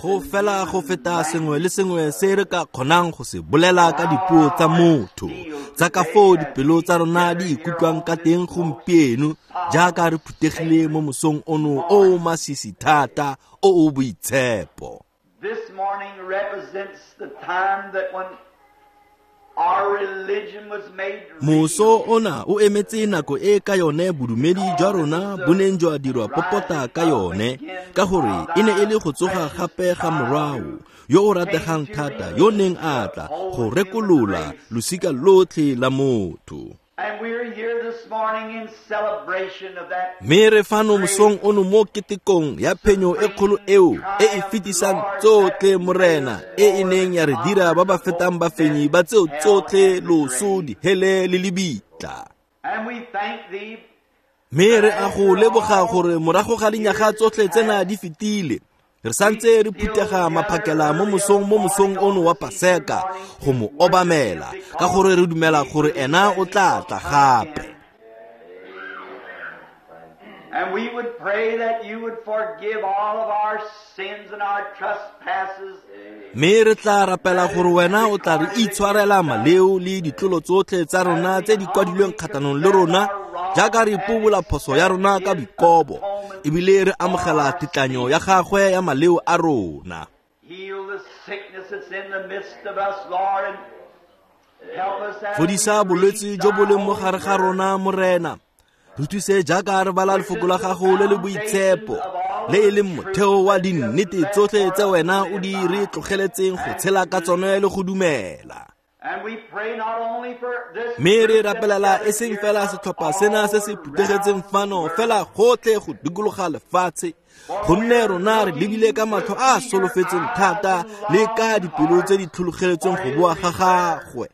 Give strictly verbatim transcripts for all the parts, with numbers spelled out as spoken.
Go fela go feta sengwe le sengwe se re ka kgonang go se bolela ka dipuo tsa motho, tsa ka foo dipelo tsa rona di ikutlwang ka teng gompieno jaaka re phuthegile mo mosong ono o o masisi thata o o boitshepo. This morning represents the time that when our religion was made real. Moso ona o emetse nako e ka yone bodumedi jwa rona bo neng jwa dirwa popota ka yone, ka gore e ne e le go tsoga gape ga morwao yo o rategang thata yo neng a tla go rekolola losika lotlhe la motho. And we're here this morning in celebration of that. Mme re fano mosong ono mo ketekong ya phenyo e kgolo eo e e fetisang tsotlhe Morena, e e neng ya re dira ba ba fetang bafenyi ba tseo tsotlhe loso, dihele le lebitla. And we thank thee. Mme re a go leboga gore morago ga dinyaga tsotlhe tsena di fetile, re santse re phuthega maphakela mo mosong mo mosong ono wa Paseka go mo obamela, ka gore re dumela gore ena o tla tla gape. And we would pray that you would forgive all of our sins and our trespasses. Mme re tla rapela gore wena o tla re itshwarela maleo le ditlolo tsotlhe tsa rona tse di kwadilweng kgatlhanong le rona, jaaka re ipobola phoso ya rona ka boikobo, ebile re amogela tetlanyo ya gagwe ya maleo a rona. Heal the sickness that's in the midst of us, Lord, and help us as Fodisa we bolwetse read jo bo thy leng mo gare ga holy rona, Morena. Re thuse jaaka re bala lefoko la gago le le boitshepo, le e leng motheo wa dinnete tsotlhe tse wena o di re tlogeletseng go tshela ka tsone le go dumela. And we pray not only for this Mme re group that's rapelela e gathered seng here, fela but setlhopha sena se se all phuthegetseng around fano, the fela gotlhe go dikologa lefatshe, gonne rona re lebile ka matlho a a solofetseng thata le ka dipelo tse di tlhologeletsweng go boa ga gagwe.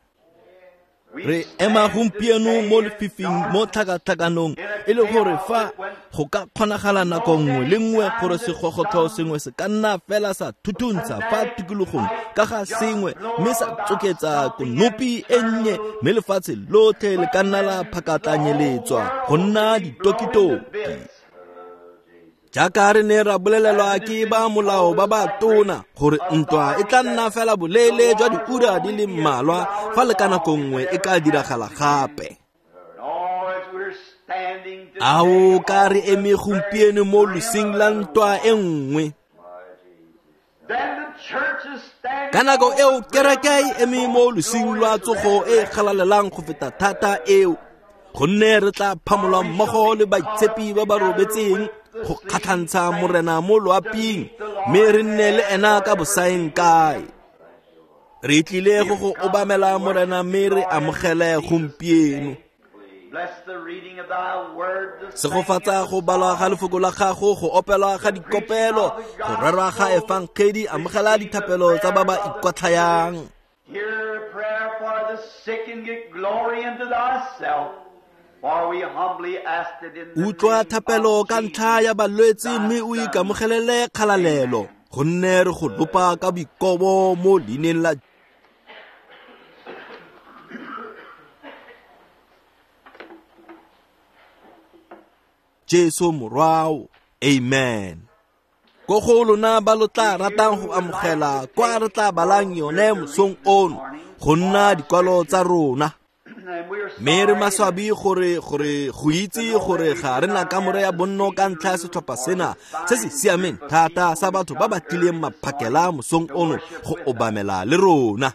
Re ema gompieno mo lefifing mo tlhakatlhakanong, e le gore fa go ka kgonagala nako nngwe le nngwe gore segogotlo sengwe se ka nna fela sa thuthuntsha fa tikologong ka ga sengwe, mme sa tsoketsa konopi e nnye, mme lefatshe lotlhe le ka nna la phakatlanyeletswa go nna ditokitoki. Jaaka re ne ra bolelelwa ke ba molao ba ba tona gore ntwa e tla nna fela boleele jwa diura di le mmalwa fa le ka nako nngwe e ka diragala gape. Ao ka re eme gompieno mo losing la ntwa e nngwe. Ka nako eo kereke e eme mo losing lwa tsogo e galalelang go feta thata eo, gonne re tla phamolwa mmogo le baitshepi ba ba robetseng go kgatlhantsha Morena mo loaping, mme re nne le ena ka bosaeng kae. Re tlile go go obamela Morena, mme re amogele gompieno. Segofatsa go balwa ga lefoko la gago, go opelwa ga dikopelo, go rerwa ga efangedi, amogela dithapelo tsa ba ba ikwatlhayang. Hear a prayer for the sick and get glory unto thyself. For we humbly ask it in the Utlwa name thapelo of ka Jesus, ntlha ya balwetse, thy mme o Son. ikamogelele kgalalelo, gonne re go lopa ka boikobo mo leineng la Jesu Morwao. Amen. Ko go lona ba lo tla ratang go amogela kwa re tla balang yone mosong ono go nna dikwalo tsa rona. Mme re maswabi gore, gore go itse gore ga re na kamore ya bonno ka ntlha ya setlhopha sena se se siameng thata sa batho ba ba tlileng maphakela mosong ono go obamela le rona,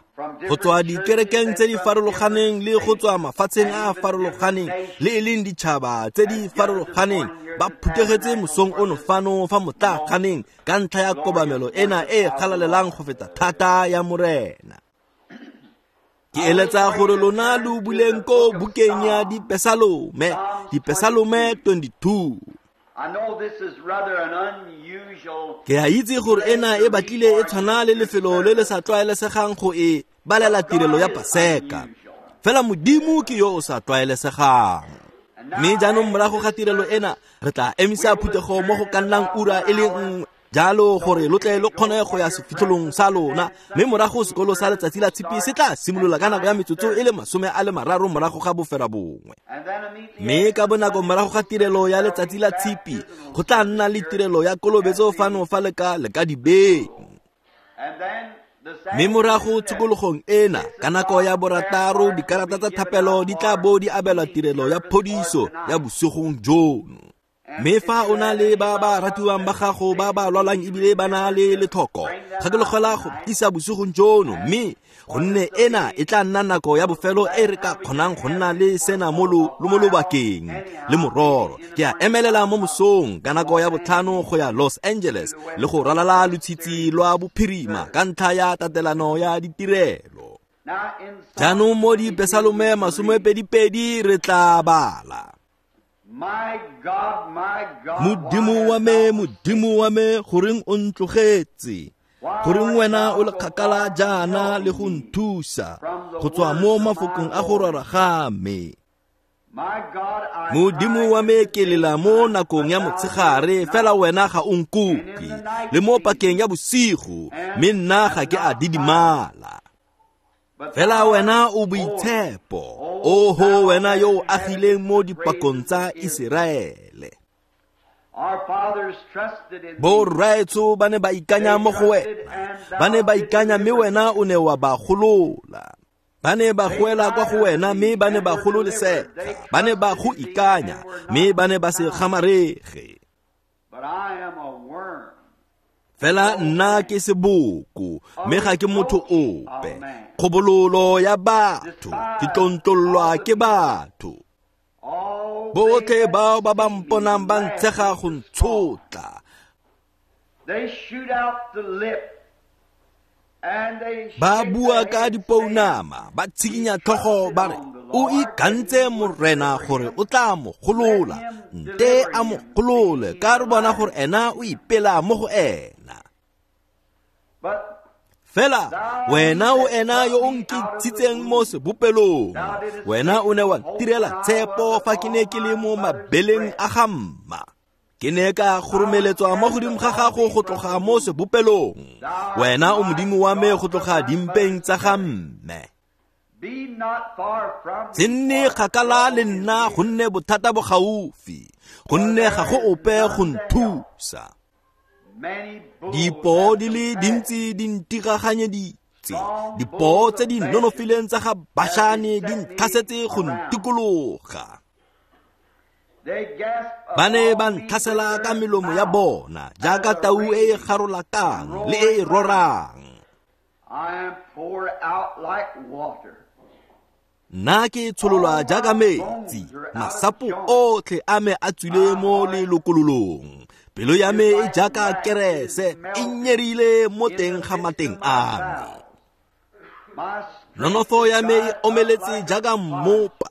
go tswa dikerekeng tse di farologaneng le go tswa mafatsheng a a farologaneng le e leng ditšhaba tse di farologaneng, ba phuthegetse mosong ono fano fa motlaaganeng ka ntlha ya kobamelo ena e e galalelang go feta thata ya Morena. Ke eletsa gore lona lo buleng ko bukeng ya Dipesalome, Dipesalome twenty-two. I know this is rather an unusual Ke a itse gore ena e batlile e tshwana le lefelo le le sa tlwaelesegang go e balela tirelo ya Paseka. Fela Modimo ke yo o sa tlwaelesegang. Mme jaanong morago ga tirelo ena, re tla emisa phuthego mo go ka nnang ura e le nngwe. Jalo gore lo tle lo kgone go ya sefitlholong sa lona, mme morago sekolo sa letsatsi la tshipi se tla simolola ka nako ya metsotso e le masome a le mararo morago ga bofera bongwe. Mme ka bonako morago ga tirelo ya letsatsi la tshipi go tla nna le tirelo ya kolobetso fano fa le ka le ka dibeng. Mme morago tshokologong ena ka nako ya borataro dikarata tsa thapelo di tla bo di abelwa tirelo ya phodiso ya bosigong jono. Mme fa o na le ba ba ratiwang ba gago ba ba lwalang ebile ba na le letlhoko, gakologelwa go tlisa bosigong jono, mme gonne ena e tla nna nako ya bofelo e re ka kgonang go nna le sena mo mo lobakeng le mororo. Ke a emelela mo mosong ka nako ya botlhano go ya Los Angeles le go ralala lotshitshi lwa bophirima ka ntlha ya tatelano ya ditirelo. Jaanong mo Dipesalome masomepedipedi re tla bala. Modimo wa me, Modimo wa me, goreng o ntlogetse? Goreng wena o le kgakala jaana le go nthusa go tswa mo mafokong a go rora ga me? Modimo wa me, ke lela mo nakong ya motshegare, fela wena ga o nkutlwe, le mo pakeng ya bosigo, mme nna ga ke a didimala. Fela wena o boitshepo, oho wena yo o agileng mo dipakong tsa Iseraele. Borraetsho ba ne ba ikanya mo go wena, ba ne ba ikanya mme wena o ne wa ba golola. Ba ne ba goela kwa go wena mme ba ne ba gololesega, ba ne ba go ikanya mme ba ne ba se gamarege. Fela nna ke seboko, mme ga ke motho ope. Kgobololo ya batho, ke tlontlolwa ke batho. Botlhe bao ba ba mponang ba ntshega go ntshotla. Ba bua ka dipounama, ba tshikinya tlhogo ba re, o ikantse Morena gore o tla mo golola, nte a mo golole, ka re bona gore ena o ipela mo go ena. Fela wena o ena yo o nkitshitseng mo sebopelong, wena o ne wa ntirela tshepo fa ke ne ke le mo mabeleng a ga mma. Ke ne ka goromeletswa mo godimo ga gago go tloga mo sebopelong, wena o Modimo wa me go tloga dimpeng tsa ga mme. Se nne kgakala le nna gonne bothata bo gaufi, gonne ga go ope go nthusa. Dipoo di le dintsi di ntiraganyeditse, dipoo tse di nonofileng tsa ga Bašane di ntlhasetse go ntikologa. Ba ne ba ntlhasela ka melomo ya bona jaaka tau e e garolakang le e e rorang. Nna ke tshololwa jaaka metsi, masapo otlhe a me a tswile mo lelokololong. Pelo ya me e jaaka kerese, e nyerile mo teng ga mateng a me. Nonofo ya me e omeletse jaaka mmopa,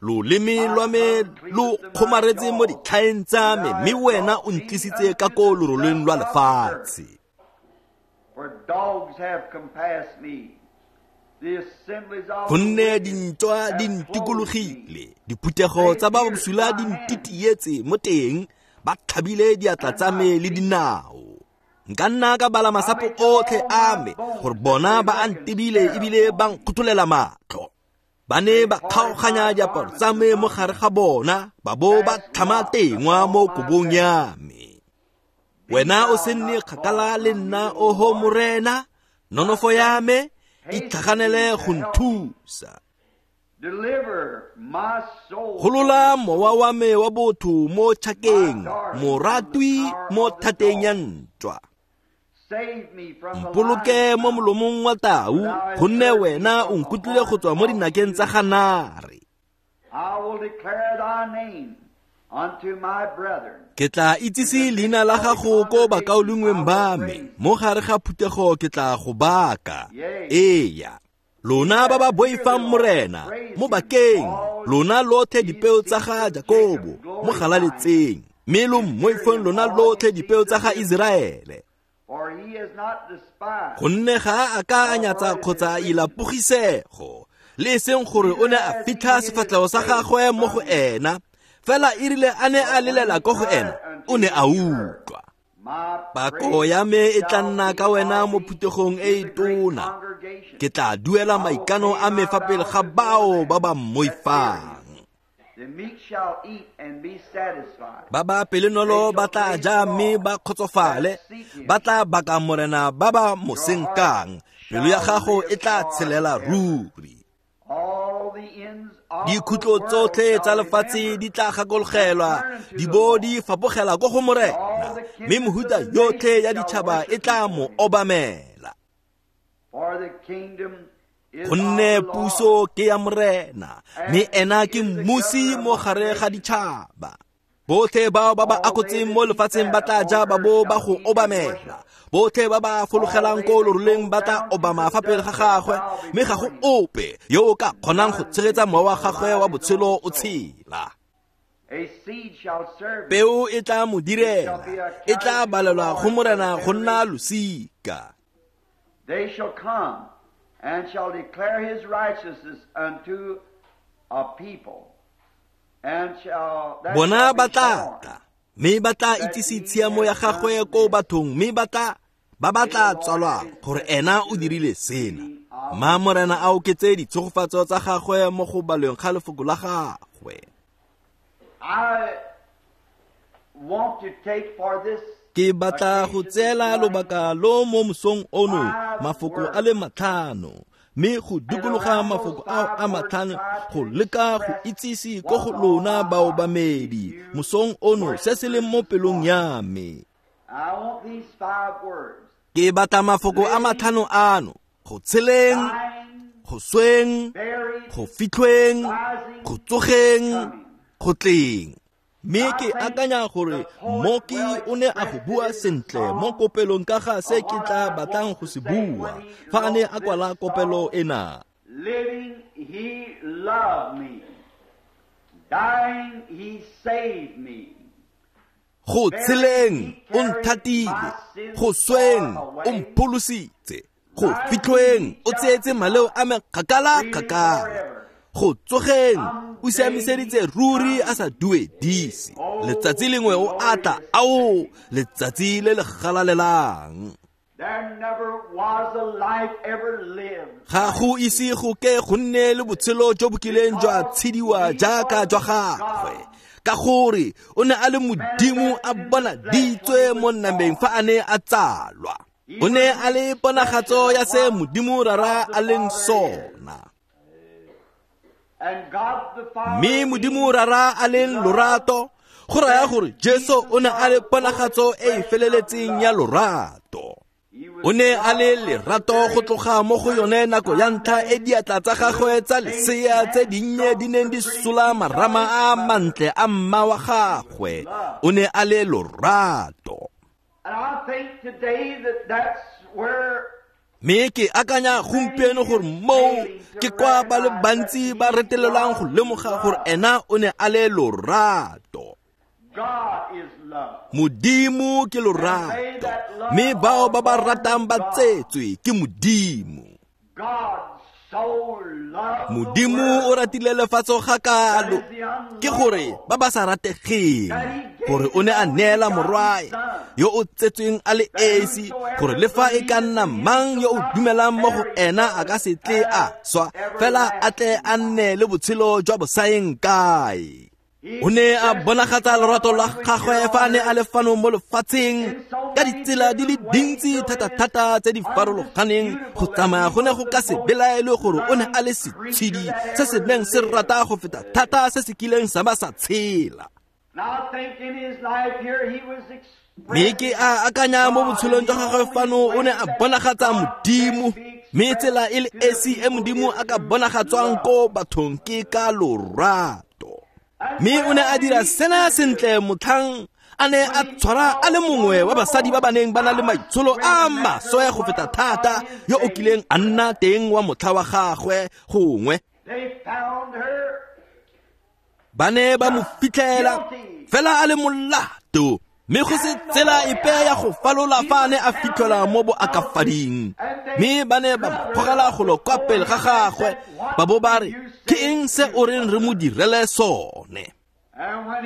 loleme lwa me lo kgomaretse mo ditlhaeng tsa me, mme wena o ntlisitse ka ko loroleng lwa lefatshe. Gonne dintwa di ntikologile, diphuthego tsa ba bosula di ntitietse mo teng, ba tlhabile diatla tsa me le dinao. Nka nna ka bala masapo otlhe a me, gore bona ba a ntebile ebile ba nkgotholela matlho. Ba ne ba kgaoganya diaparo tsa me mo gare ga bona, ba bo ba tlhama tengwa mo kobong ya me. Wena o se nne kgakala le nna, oho Morena, nonofo ya me, itlhaganele go nthusa. Golola mowa wa me wa botho mo tšhakeng, moratwi mo thateng ya ntwa. Mpoloke mo molomong wa tau, gonne wena o nkutlwile go tswa mo dinakeng tsa ganare. Ke tla itsise leina la gago ko bakaulengweng ba me, mo gare ga phuthego ke tla go baka. Eya, lona ba ba boifang Morena, mo bakeng, lona lotlhe dipeo tsa ga Jakobo, mo galaletseng, mme lo mmoifeng lona lotlhe dipeo tsa ga Iseraele. Gonne ga a ka a nyatsa kgotsa a ila pogisego, le e seng gore o ne a fitlha sefatlhego sa gagwe mo go ena, fela e rile a ne a lelela ko go ena, o ne a utlwa. Pako ya me e tla nna ka wena mo phuthegong e e tona. Ke tla duela maikano a me fa pele ga bao ba ba mmoifang. Ba ba pelonolo ba tla ja mme ba kgotsofale, ba tla baka Morena ba ba mo senkang. Pelo ya gago e tla tshelela ruri. Dikhutlo tsotlhe tsa lefatshe di tla gakologelwa, di bo di fapogela ko go Morena, mme mehuta yotlhe ya ditšhaba e tla mo obamela. Gonne puso ke ya Morena, mme ena ke mmusi mo gare ga ditšhaba. Botlhe bao ba ba akotseng mo lefatsheng ba tla ja ba bo ba go obamela. Botlhe ba ba fologelang ko loroleng ba tla obama fa pele ga gagwe, mme ga go ope yo o ka kgonang go tshegetsa mowa wa gagwe wa botshelo o tshela. Peo e tla mo direla, e tla balelwa go Morena go nna losika. They shall come and shall declare his righteousness unto a people. Bona ba tla tla, mme ba tla itsise tshiamo ya gagwe ko bathong, mme ba tla ba ba tla tswalwang gore ena o dirile sena. Ma Morena a oketse ditshegofatso tsa gagwe mo go balweng ga lefoko la gagwe. Ke batla go tseela lobaka lo mo mosong ono mafoko a le matlhano, mme go dikologa mafoko ao a matlhano go leka go itsise ko go lona baobamedi mosong ono se se leng mo pelong ya me. Ke batla mafoko a matlhano ano: go tsheleng, go sweng, go fitlhweng, go tsogeng, go tleng. Mme ke akanya gore mmoki o ne a go bua sentle mo kopelong ka ga se ke tla batlang go se bua fa a ne a kwala kopelo ena. Living, he loved me. Dying, he saved me. Go tsheleng o nthatile, go sweng o mpholositse, go fitlhweng o tseetse maleo a me kgakala kgakala, go tsogeng o siamiseditse ruri a sa duedise. Letsatsi lengwe o atla, ao, letsatsi le le galalelang. Ga go ise go ke go nne le botshelo jo bo kileng jwa tshediwa jaaka jwa gagwe, ka gore o ne a le Modimo a bonaditswe mo nameng fa a ne a tsalwa. O ne a le ponagatso ya se Modimo Rara a leng sona. Mme Modimo Rara a leng lorato, go raya gore Jesu o ne a le ponagatso e e feleletseng ya lorato. O ne a le lerato go tloga mo go yone nako ya ntlha e diatla tsa gagwe tsa lesea tse dinnye di neng di sola marama a mantle a mma wa gagwe. O ne a le lorato. Mme ke akanya gompieno gore moo ke kwa ba le bantsi ba retelelwang go lemoga gore ena o ne a le lorato. Modimo ke lorato, mme bao ba ba ratang ba tsetswe ke Modimo. Modimo o ratile lefatshe ga kalo, ke gore ba ba sa rategeng, gore o ne a neela morwae yo o tsetsweng a le esi, gore le fa e ka nna mang yo o dumelang mo go ena a ka se tle a swa, fela a tle a nne le botshelo jwa bosaeng kae. O ne a bonagatsa lorato la gagwe fa a ne a le fano mo lefatsheng ka ditsela di le dintsi thata-thata tse di farologaneng, go tsamaya go ne go ka se belaelwe gore o ne a le setshedi se se neng se rata go feta thata se se kileng sa ba sa tshela. Mme ke a akanya mo botshelong jwa gagwe fano o ne a bonagatsa Modimo, mme tsela e le esi e Modimo a ka bonagatswang ko bathong ke ka lorato. Mme o ne a dira sena sentle motlhang a ne a tshwara a le mongwe wa basadi ba ba neng ba na le maitsholo a maswe go feta thata yo o kileng a nna teng wa motlha wa gagwe gongwe. Ba ne ba mo fitlhela fela a le molato, mme go se tsela epe ya go falola fa a ne a fitlhelwa mo boakafading. Mme ba ne ba mo gogela golo kwa pele ga gagwe, ba bo ba re, ke eng se o reng re mo direle sone?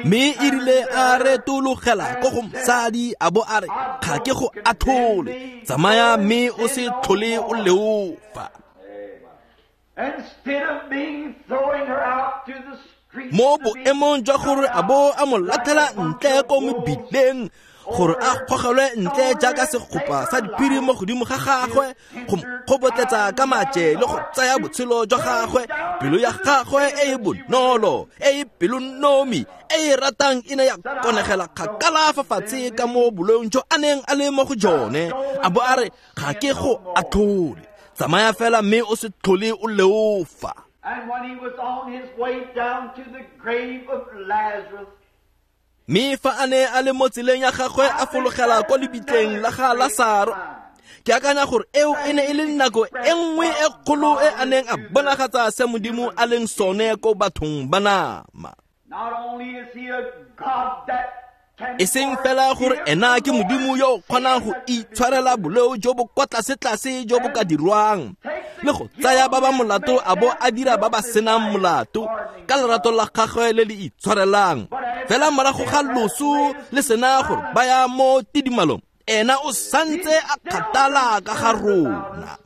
Mme e rile a retologela ko go mosadi a bo a re, ga ke go athole, tsamaya mme o se tlhole o leofa. Mo boemong jwa gore a bo a mo latlhela ntle ko mebileng, gore a gogelwe ntle jaaka segopa sa diphiri mo godimo ga gagwe, go mo kgobotletsa ka maje le go tsaya botshelo jwa gagwe, pelo ya gagwe e e bonolo, e e pelonomi, e e ratang e ne ya konegela kgakala fa fatshe ka mo boloong jo a neng a le mo go jone, a bo a re, ga ke go atlhole, tsamaya fela mme o se tlhole o leofa. And when he was on his way down to the grave of Lazarus, mme fa a ne a le mo tseleng ya gagwe a fologela kwa lebitleng la ga Lasaro, ke akanya gore eo e ne e le nako e nngwe e kgolo e a neng a bonagatsa se Modimo a leng sone ko bathong ba nama. E seng fela gore ena ke Modimo yo o kgonang go itshwarela boleo jo bo kwa tlase-tlase jo bo ka dirwang, le go tsaya ba ba molato a bo a dira ba ba senang molato ka lerato la gagwe le le itshwarelang. Fela morago ga loso le sena gore ba ya mo tidimalong, ena o santse a kgathala ka ga rona.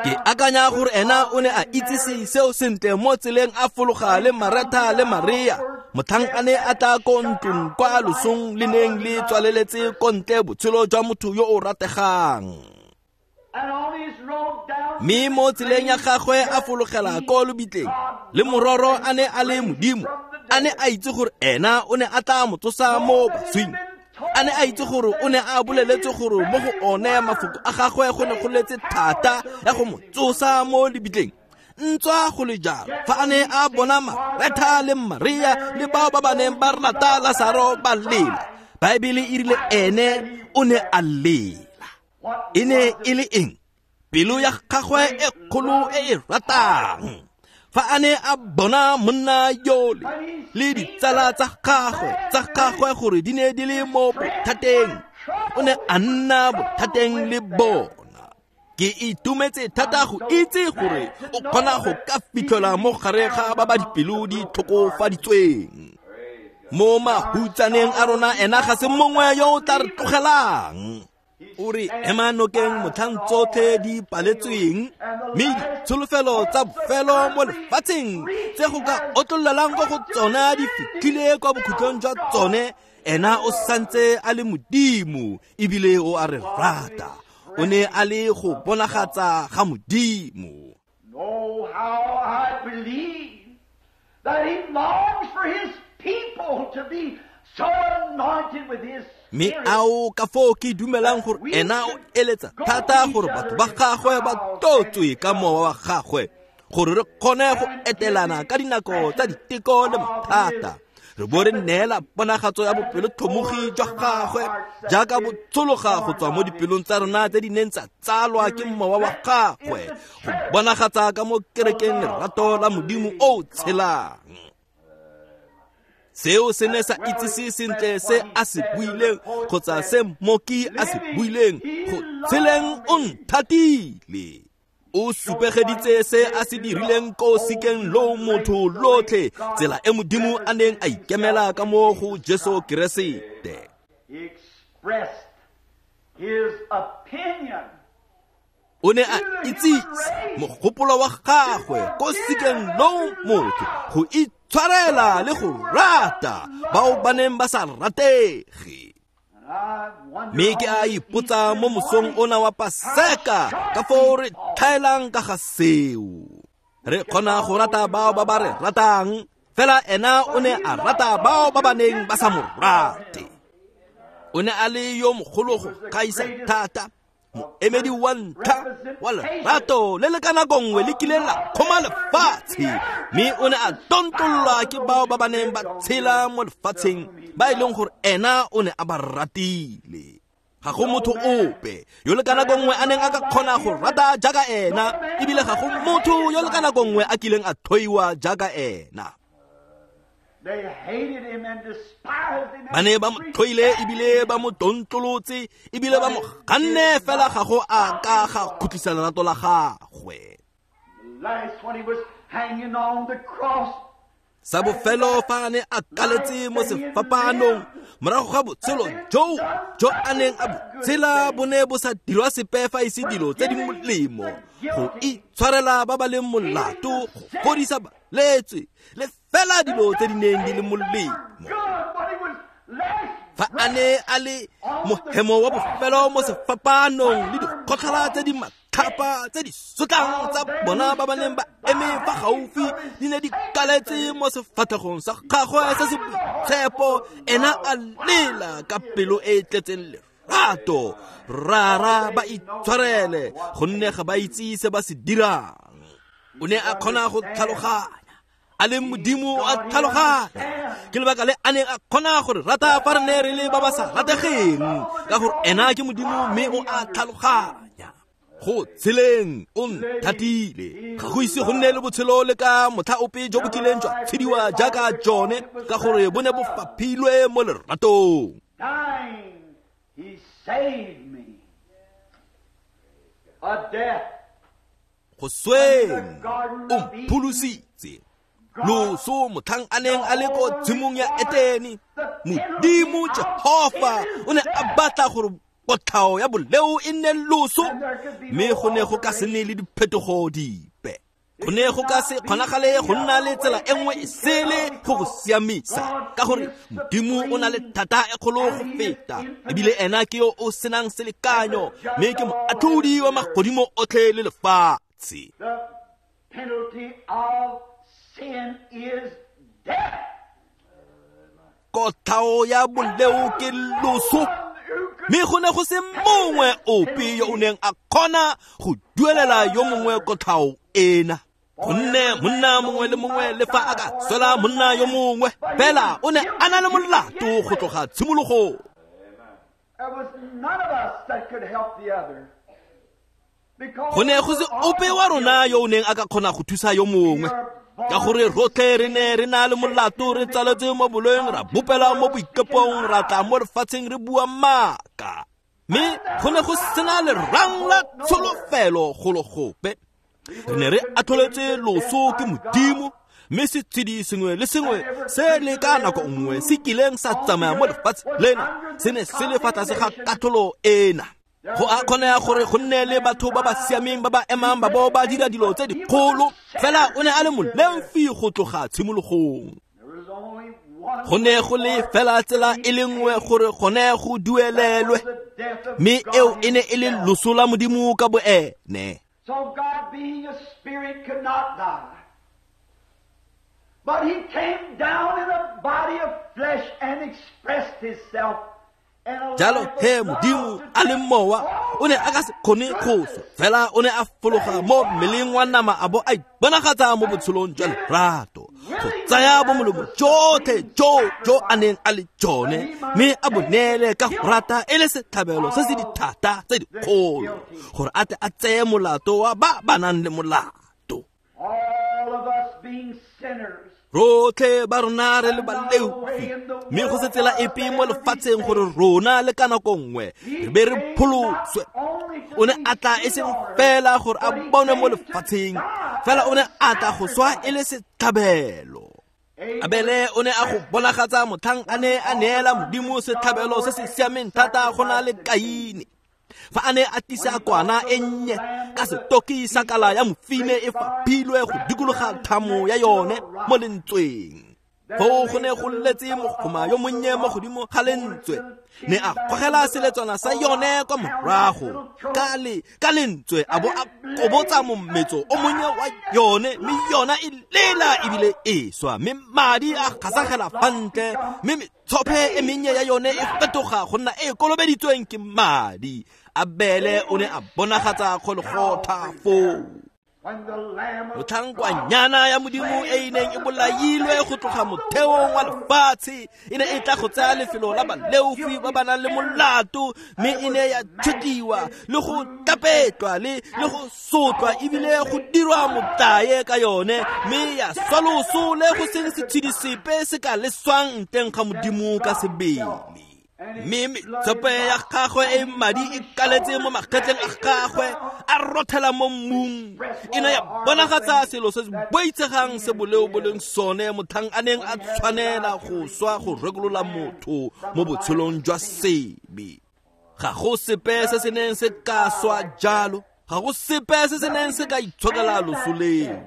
Ke akanya gore ena o ne a itsise seo sentle mo tseleng a fologa le Maretha le Maria, motlhang a ne a tla ko ntlong kwa losong le neng le tswaleletse ko ntle botshelo jwa motho yo o rategang. Mme mo tseleng ya gagwe a fologela ko lebitleng, le mororo a ne a le Modimo, a ne a itse gore ena o ne a tla mo tsosa mo baswing. A ne a itse gore o ne a boleletse gore mo go one mafoko a gagwe go ne go letse thata ya go mo tsosa mo lebitleng. Ntswa go le jalo, fa a ne a bona Maretha le Maria le bao ba ba neng ba rata Lasaro ba lela, Baebele e rile ene o ne a lela. E ne e le eng? Pelo ya gagwe e kgolo e e ratang. Fa a ne a bona monna yole le ditsala tsa gagwe tsa gagwe gore di ne di le mo bothateng, o ne a nna bothateng le bona. Ke itumetse thata go itse gore o kgona go ka fitlhela mo gare ga ba ba dipelo di tlhokofaditsweng. Mo mahutsaneng a rona ena ga se mongwe yo o tla re tlogelang. O re ema nokeng motlhang tsotlhe di paletsweng, mme ditsholofelo tsa bofelo mo lefatsheng tse go ka otlololang ko go tsona di fitlhile kwa bokhutlong jwa tsone, ena o santse a le Modimo ebile o a re rata. O ne a le go bonagatsa ga Modimo. Oh, how I believe that he longs for his people to be so anointed with his Mme ao ka foo ke dumelang gore ena o eletsa thata gore batho ba gagwe ba tlotswe ka mowa wa gagwe, gore re kgone go etelana ka dinako tsa diteko le mathata, re bo re neela ponagatso ya bopelotlhomogi jwa gagwe jaaka bo tshologa go tswa mo dipelong tsa rona tse di neng tsa tsalwa ke mowa wa gagwe, go bonagatsa ka mo kerekeng lerato la Modimo o o tshelang. Seo se ne sa itsise sentle se a se buileng kgotsa se mmoki a se buileng, go tsheleng o nthatile. O supegeditse se a se dirileng ko sikeng lo motho lotlhe, tsela e Modimo a neng a ikemela ka mo go Jesu Keresete. O ne a itsise mogopolo wa gagwe ko sikeng lo motho go itshwarela le go rata bao ba neng ba sa ratege. Mme ke a ipotsa mo mosong ona wa Paseka ka foo re tlhaelang ka ga seo. Re kgona go rata bao ba ba re ratang, fela ena o ne a rata bao ba ba neng ba sa mo rate. O ne a le yo mogolo go gaisa thata, moemedi wa ntlha wa lerato le le ka nako nngwe le kileng la kgoma lefatshe, mme o ne a tontololwa ke bao ba ba neng ba tshela mo lefatsheng ba e leng gore ena o ne a ba ratile. Ga go motho ope yo le ka nako nngwe a neng a ka kgona go rata jaaka ena, ebile ga go motho yo le ka nako nngwe a kileng a tlhoiwa jaaka ena. Ba ne ba mo tlhoile ebile ba mo tontlolotse ebile ba mo ganne, fela ga go a ka ga khutlisa lerato la gagwe. Sa bofelo fa a ne a kaletse mo sefapanong morago ga botshelo joo jo a neng a bo tshela bo ne bo sa dirwa sepe fa e se dilo tse di molemo, go itshwarela ba ba leng molato, go fodisa balwetse le fela dilo tse di neng di le molemo. Fa a ne a le mohemo wa bofelo mo sefapanong le dikgotlhela tse di matlhapa tse di sotlang tsa bona ba ba neng ba eme fa gaufi di ne di kaletse mo sefatlhegong sa gagwe se se boitshepo, ena a lela ka pelo e e tletseng lerato, Rara, ba itshwarele gonne ga ba itse se ba se dirang. O ne a kgona go tlhaloganya, a le Modimo a tlhaloganya. Ke lebaka le a neng a kgona gore rata fa re ne re le ba ba sa rategeng, ka gore ena ke Modimo mme o a tlhaloganya. Go tsheleng o nthatile, ga go ise go nne le botshelo le ka motlha ope jo bo kileng jwa tshediwa jaaka jone, ka gore bo ne bo faphilwe mo leratong. Dying, he saved me. A death. Go sweng o mpholositse. Loso motlhang a neng a le ko tshimong ya Etene, Modimo Jehofa o ne a batla gore kotlhao ya boleo e nne loso, mme go ne go ka se nne le diphetogo dipe. Go ne go ka se kgonagale go nna le tsela e nngwe e sele go go siamisa, ka gore Modimo o na le thata e kgolo go feta, ebile ena ke yo o senang selekanyo, mme ke moatlhodi wa magodimo otlhe le lefatshe. The penalty of sin is death. Kotlhao ya boleo ke loso, mme go ne go se mongwe ope yo o neng a kgona go duelela yo mongwe kotlhao ena, gonne monna mongwe le mongwe le fa a ka swela monna yo mongwe fela o ne a na le molato go tloga tshimologong. There was none of us that could help the other. Go ne go se ope wa rona yo o neng a ka kgona go thusa yo mongwe, ka gore rotlhe re ne re na le molato, re tsaletswe mo boloeng, ra bopela mo boikepong, ra tla mo lefatsheng re bua maaka, mme go ne go sena lerang la tsholofelo golo gope. Re ne re atlholetswe loso ke Modimo, mme setshedi sengwe le sengwe se le ka nako nngwe se kileng sa tsamaya mo lefatshe lena se ne se le fa tlase ga katlholo ena. Go a kgonega gore go nne le batho ba ba siameng ba ba emang ba bo ba dira dilo tse dikgolo, fela o ne a le moleofi go tloga tshimologong. Go ne go le fela tsela e le nngwe gore gone go duelelwe, mme eo e ne e le loso la Modimo ka boene. So God, being a spirit, could not die. But he came down in a body of flesh and expressed himself. Jalo he Modimo a le mowa o ne a ka se kgone go swa, fela o ne a fologa mo mmeleng wa nama a bo a iponagatsa mo botshelong jwa lerato, go tsaya bomolomo jotlhe jo jo a neng a le jone, mme a bo neele ka go rata e le setlhabelo se se dithata tse dikgolo, gore a tle a tseye molato wa ba ba nang le molato. All of us being sinners. Rotlhe ba rona re le baleofi, mme go se tsela epe mo lefatsheng gore rona le ka nako nngwe re be re pholoswe. O ne a tla e seng fela gore a bonwe mo lefatsheng, fela o ne a tla go swa e le setlhabelo. Abele o ne a go bonagatsa motlhang a ne a neela Modimo setlhabelo se se siameng thata go na le Kaine, fa a ne a tlisa kwana e nnye ka setoki sa kala ya mofine e faphilwe go dikologa thamo ya yone mo lentsweng. Foo go ne go letse mogoma yo monnye mo godimo ga lentswe, ne a gogela seletswana sa yone kwa morago ka le ka lentswe, a bo a kobotsa mometso o monnye wa yone, mme yona e lela ebile e swa, mme madi a gasagela fa ntle, mme metshophe e mennye ya yone e fetoga go nna e kolobeditsweng ke madi. Abele o ne a bonagatsa kgolegotha foo. Motlhang kwanyana ya Modimo e e neng e bolailwe go tloga motheong wa lefatshe e ne e tla go tsaya lefelo la baleofi ba ba nang le molato, mme e ne ya tshetiwa le go tapetlwa le le go sotlwa ebile go dirwa motlae ka yone, mme ya swa loso le go seng setshedi sepe se ka leswang nteng ga Modimo ka sebele. Mme metsope ya gagwe e madi e kaletse mo magetleng a gagwe a rothela mo mmung e ne ya bonagatsa selo se se boitshegang se boleo bo leng sone motlhang a neng a tshwanela go swa go rekolola motho mo botshelong jwa sebe. Ga go sepe se se neng se ka swa jalo, ga go sepe se se neng se ka itshokela loso leo.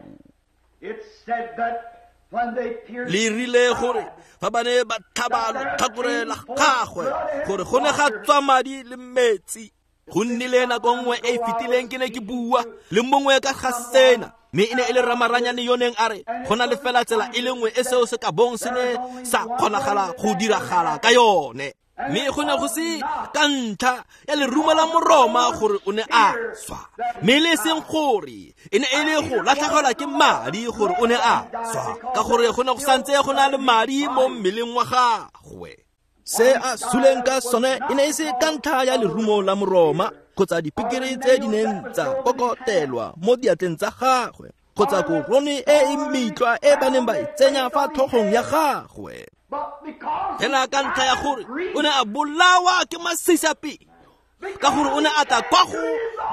Le rile gore fa ba ne ba tlhaba lotlhakore la gagwe gore go ne ga tswa madi le metsi. Go nnile nako nngwe e e fetileng ke ne ke bua le mongwe ka ga sena, mme e ne e le ramaranyane yo neng a re go na le fela tsela e le nngwe e seo se ka bong se ne sa kgonagala go diragala ka yone. Mme go ne go se ka ntlha ya lerumo la Moroma gore o ne a swa, mme le seng gore e ne e le go latlhegelwa ke madi gore o ne a swa, ka gore go ne go santse go na le madi mo mmeleng wa gagwe. Se a suleng ka sone e ne e se ka ntlha ya lerumo la Moroma kgotsa dipikiri tse di neng tsa kokotelwa mo diatleng tsa gagwe kgotsa korone e e metlwa e ba neng ba e tsenya fa tlhogong ya gagwe. Fela ka ntlha ya gore o ne a bolawa ke masisapelo, ka gore o ne a tla kwa go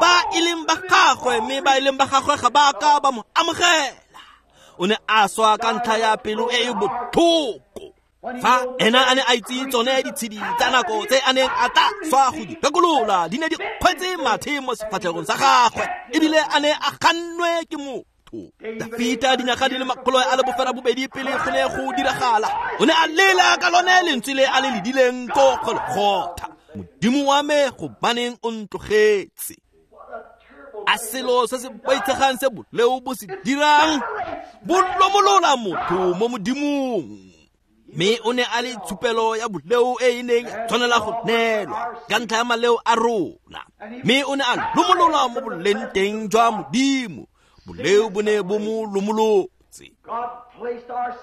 ba e leng ba gagwe, mme ba e leng ba gagwe ga ba ka ba mo amogela. O ne a swa ka ntlha ya pelo e e botlhoko. Fa ena a ne a itse tsone ditshedi tsa nako tse a neng a tla swa go di rekolola di ne di kgwetse mathe mo sefatlhegong sa gagwe, ebile a ne a gannwe ke motho. Dafita dinyaga di le makgolo a le bofera bobedi pele go ne go diragala, o ne a lela ka lone lentswe le a le ledileng ko Golgotha, Modimo wa me gobaneng o ntlogetse. A selo se se boitshegang se boleo bo se dirang, bo lomolola motho mo Modimong. Mme o ne a le tshupelo ya boleo e e neng ya tshwanela go neelwa ka ntlha ya maleo a rona, mme o ne a lomolola mo boleng teng jwa Modimo. Boleo bo ne bo mo lomolotse.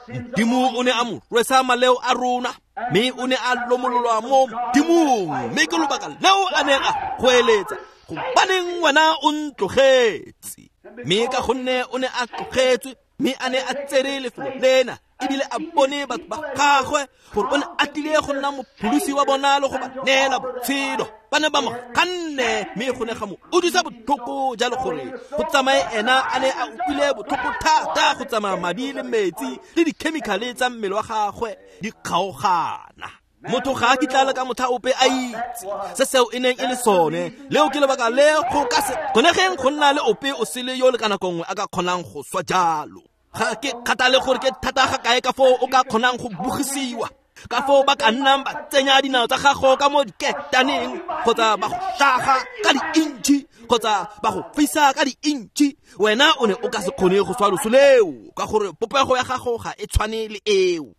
Modimo o ne a mo rwesa maleo a rona, mme o ne a lomololwa mo Modimong. Mme ke lobaka leo a neng a goeletsa, gobaneng wena o ntlogetse? Mme ka gonne o ne a tlogetswe, mme a ne a tsere lefelo lena, ebile a bone batho ba gagwe gore o ne a tlile go nna mopholosi wa bona le go ba neela botshelo. Ba ne ba mo ganne, mme go ne ga mo utlwisa botlhoko jalo gore go tsamaye ena a ne a utlwile botlhoko thata go tsamaya madi le metsi le dikhemikhale tsa mmele wa gagwe di kgaogana. Motho ga a kitla le ka motlha ope a itse se seo e neng e le sone. Leo ke lebaka le go ka se kgonegeng go nna le ope o sele yo le ka nako nngwe a ka kgonang go swa jalo. Ga ke kgathale gore ke thata ga kae ka foo o ka kgonang go bogisiwa, ka foo ba ka nnang ba tsenya dinao tsa gago ka mo diketaneng, kgotsa ba go hlaga ka di-intšhi, kgotsa ba go fisa ka di-intšhi, wena o ne o ka se kgone go swa loso leo, ka gore popego ya gago ga e tshwane le eo.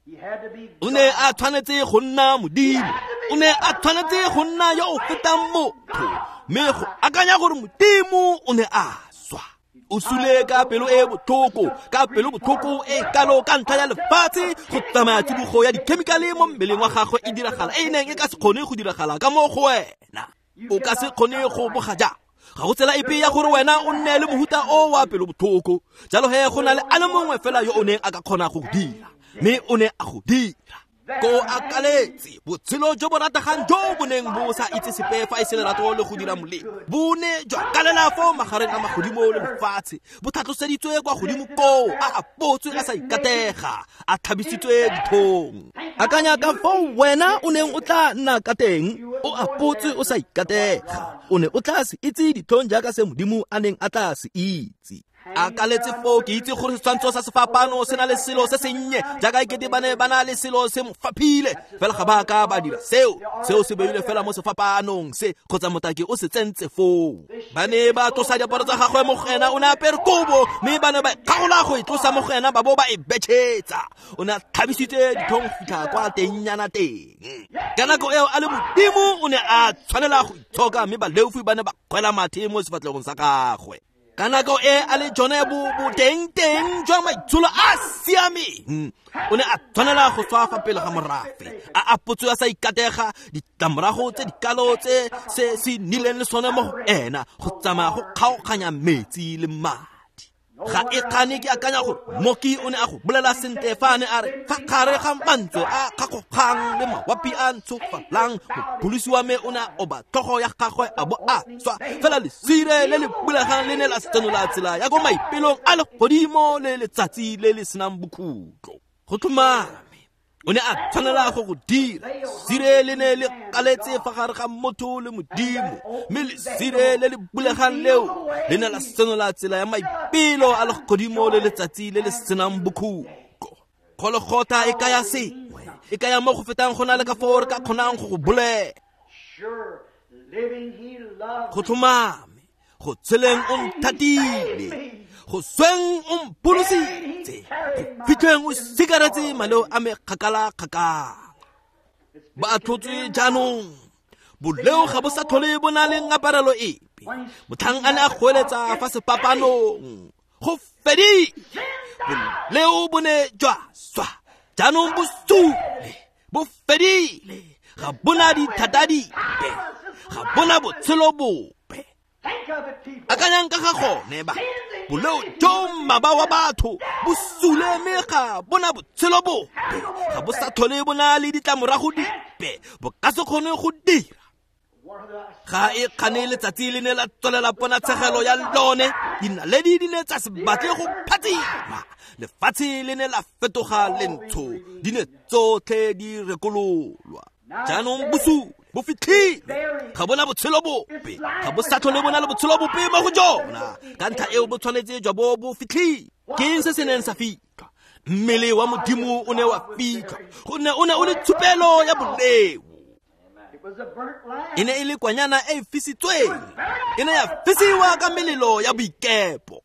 O ne a tshwanetse go nna Modimo, o ne a tshwanetse go nna yo o fetang motho, mme go akanya gore Modimo o ne a swa. O sule ka pelo e botlhoko, ka pelo botlhoko e kalo ka ntlha ya lefatshe go tsamaya tsibogo ya dikhemikhale mo mmeleng wa gagwe e diragala e neng e ka se kgone go diragala ka mo go wena. O ka se kgone go boga jang. Ga go tsela epe ya gore wena o nne le mohuta o wa pelo botlhoko. Jalo he go na le a le mongwe fela yo o neng a ka kgona go dira, mme o ne a go dira. Ko a kaletse botshelo jo bo rategang jo bo neng bo sa itse sepe fa e se lerato le go dira molemo, bo ne jwa kalela fo magareng a magodimo le lefatshe, bo tlhatloseditswe kwa godimo koo, a apotswe a sa ikatega, a tlhabisitswe dithong. Akanya ka foo wena o neng o tla nna ka teng, o apotswe o sa ikatega, o ne o tla se itse ditlhong jaaka se Modimo a neng a tla se itse. A kaletse foo, ke itse gore setshwantsho sa sefapano se na le selo se sennye jaaka ekete ba ne ba na le selo se mo faphile, fela ga ba ka ba dira seo. Seo se beilwe fela mo sefapanong se, kgotsa motaki o se tsentse foo. Ba ne ba tlosa diaparo tsa gagwe mo go ena, o ne a apere kobo, mme ba ne ba kgaola go e tlosa mo go ena ba bo ba e betšhetsa. O ne a tlhabisitse ditlhong go fitlha kwa tengnyana teng. Ka nako eo a le Modimo o ne a tshwanela go itshoka, mme baleofi ba ne ba kgwela mathe mo sefatlhegong sa gagwe. Ka nako e a le jone bo boteng teng jwa maitsholo a siameng, o ne a tshwanela go swa fa pele ga morafe, a apotswe a sa ikatega, ditlamorago tse dikalo tse se se nnileng le sone mo go ena, go tsamaya go kgaoganya metsi le madi. Ga e kgane ke akanya gore mmoki o ne a go bolela sentle fa a ne a re fa gare ga mantswe a kgakgogang le mawapi a ntshofalang, mopholosi wa me o ne a oba tlhogo ya gagwe a bo a swa. Fela lesire le le bulegang le ne la senola tsela ya ko maipelong a legodimo le letsatsi le le senang bokhutlo. Go tlhomame o ne a tshwanela go go dira. Lesire le ne le kaletse fa gare ga motho le Modimo, mme lesire le le bulegang leo le ne la senola tsela ya maipelo a legodimo le letsatsi le le senang bokhutlo. Golgotha e kaya sengwe, e kaya mo go fetang go na le ka foo re ka kgonang go go bolela. Go tlhomame, go tsheleng o nthatile, go sweng o mpholositse, go fitlheng o sikaretse maleo a me kgakala-kgakala. Ba atlhotswe jaanong, boleo ga bo sa tlhole bo na le ngaparelo epe. Motlhang a ne a goeletsa fa sepapanong, go fedile, boleo bo ne jwa swa, jaanong bo sule, bo fedile, ga bona dithata dipe, ga bona botshelo bope. Akanyang ka ga gone ba, boleo jo mmaba wa batho bo sule mme ga bona botshelo bope, ga bo sa tlhole bo na le ditlamorago dipe, bo ka se kgone go dira. Ga e kgane letsatsi le ne la tswelela ponatshegelo ya lone, dinaledi di ne tsa se batle go phatsima, lefatshe le ne la fetoga lentsho, di ne tsotlhe di rekololwa. Jaanong bosule bo fitlhile, ga bona botshelo bope, ga bo sa tlhole bo na le botshelo bope mo go jona. Ka ntlha eo bo tshwanetse jwa bo bo fitlhile. Ke eng se se neng sa fitlhwa? Mmele wa Modimo o ne wa fitlhwa, gonne o ne o le tshupelo ya boleo. E ne e le kwanyana e e fisitsweng, e ne ya fisiwa ka melelo ya boikepo.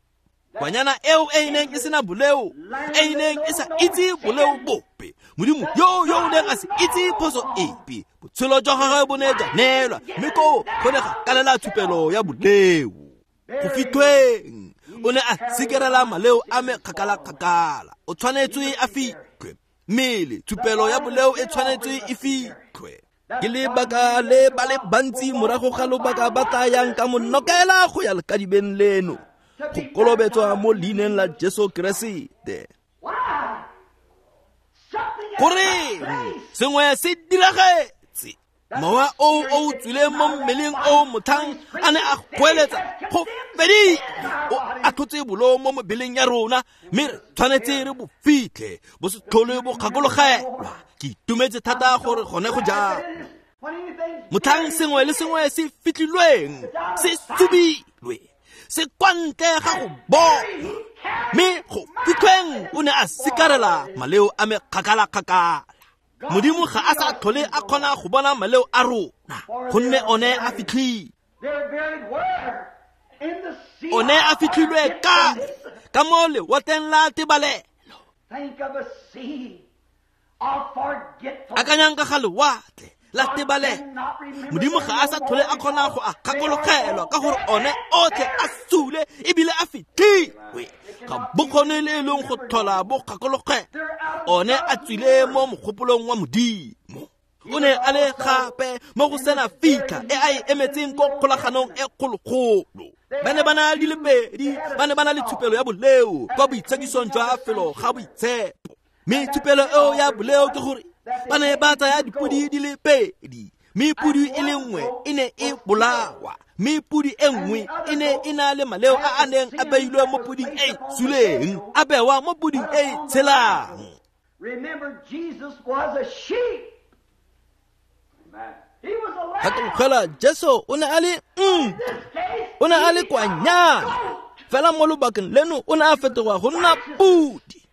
Kwanyana eo e e neng e sena boleo, e e neng e sa itse boleo bope, Modimo yo yo o neng a se itse phoso epe, botshelo jwa gagwe bo ne jwa neelwa, mme koo go ne ga kalela tshupelo ya boleo. Go fitlhweng o ne a sikerela maleo a me kgakala-kgakala. O tshwanetswe a fitlhwe, mmele tshupelo ya boleo e tshwanetswe e fitlhwe. Ke lebaka le ba le bantsi morago ga lobaka ba tla yang ka monokela go ya lekadibeng leno, go kolobetswa mo leineng la Jesu Keresete. Goreng sengwe se diragetse? Mowa o o tswileng mo mmeleng o motlhang a ne a goeletsa go fedile, o atlhotse boleo mo mebeleng ya rona, mme re tshwanetse re bo fitlhe, bo se tlhole bo gakologelwa. Ke itumetse thata gore gone go jang. Motlhang sengwe le sengwe se fitlhilweng, se subilwe, se kwa ntle ga go bona, mme go fitlhweng o ne a sikarela maleo a me kgakala-kgakala. Modimo ga a sa tlhole a kgona go bona maleo a rona, gonne one a fitlhile. One a fitlhilwe kae? Ka mo lewatleng la tebalelo. Akanyang ka ga lewatle la tebalelo. Modimo ga a sa tlhole a kgona go a gakologelwa ka gore one otlhe a sule ebile a fitlhilwe. Ga bo kgone le e leng go tlhola bo gakologelwa, one a tswile mo mogopolong wa Modimo. O ne a le gape mo go sena fitlha e a e emetseng ko kgolaganong e kgologolo. Ba ne ba na le pedi, ba ne ba na le tshupelo ya boleo kwa boitshekisong jwa felo ga boitshepo. Mme tshupelo eo ya boleo ke gore ba ne ba tsaya dipodi di le pedi, mme podi e le nngwe e ne e bolawa, mme podi e nngwe e ne e na le maleo a a neng a beilwe mo poding e e suleng, a bewa mo poding e e tshelang. Remember, Jesus was a sheep. Gakologelwa, Jesu o ne a le nku, o ne a le kwanyana, fela mo lobakeng leno o ne a fetoga go nna podi.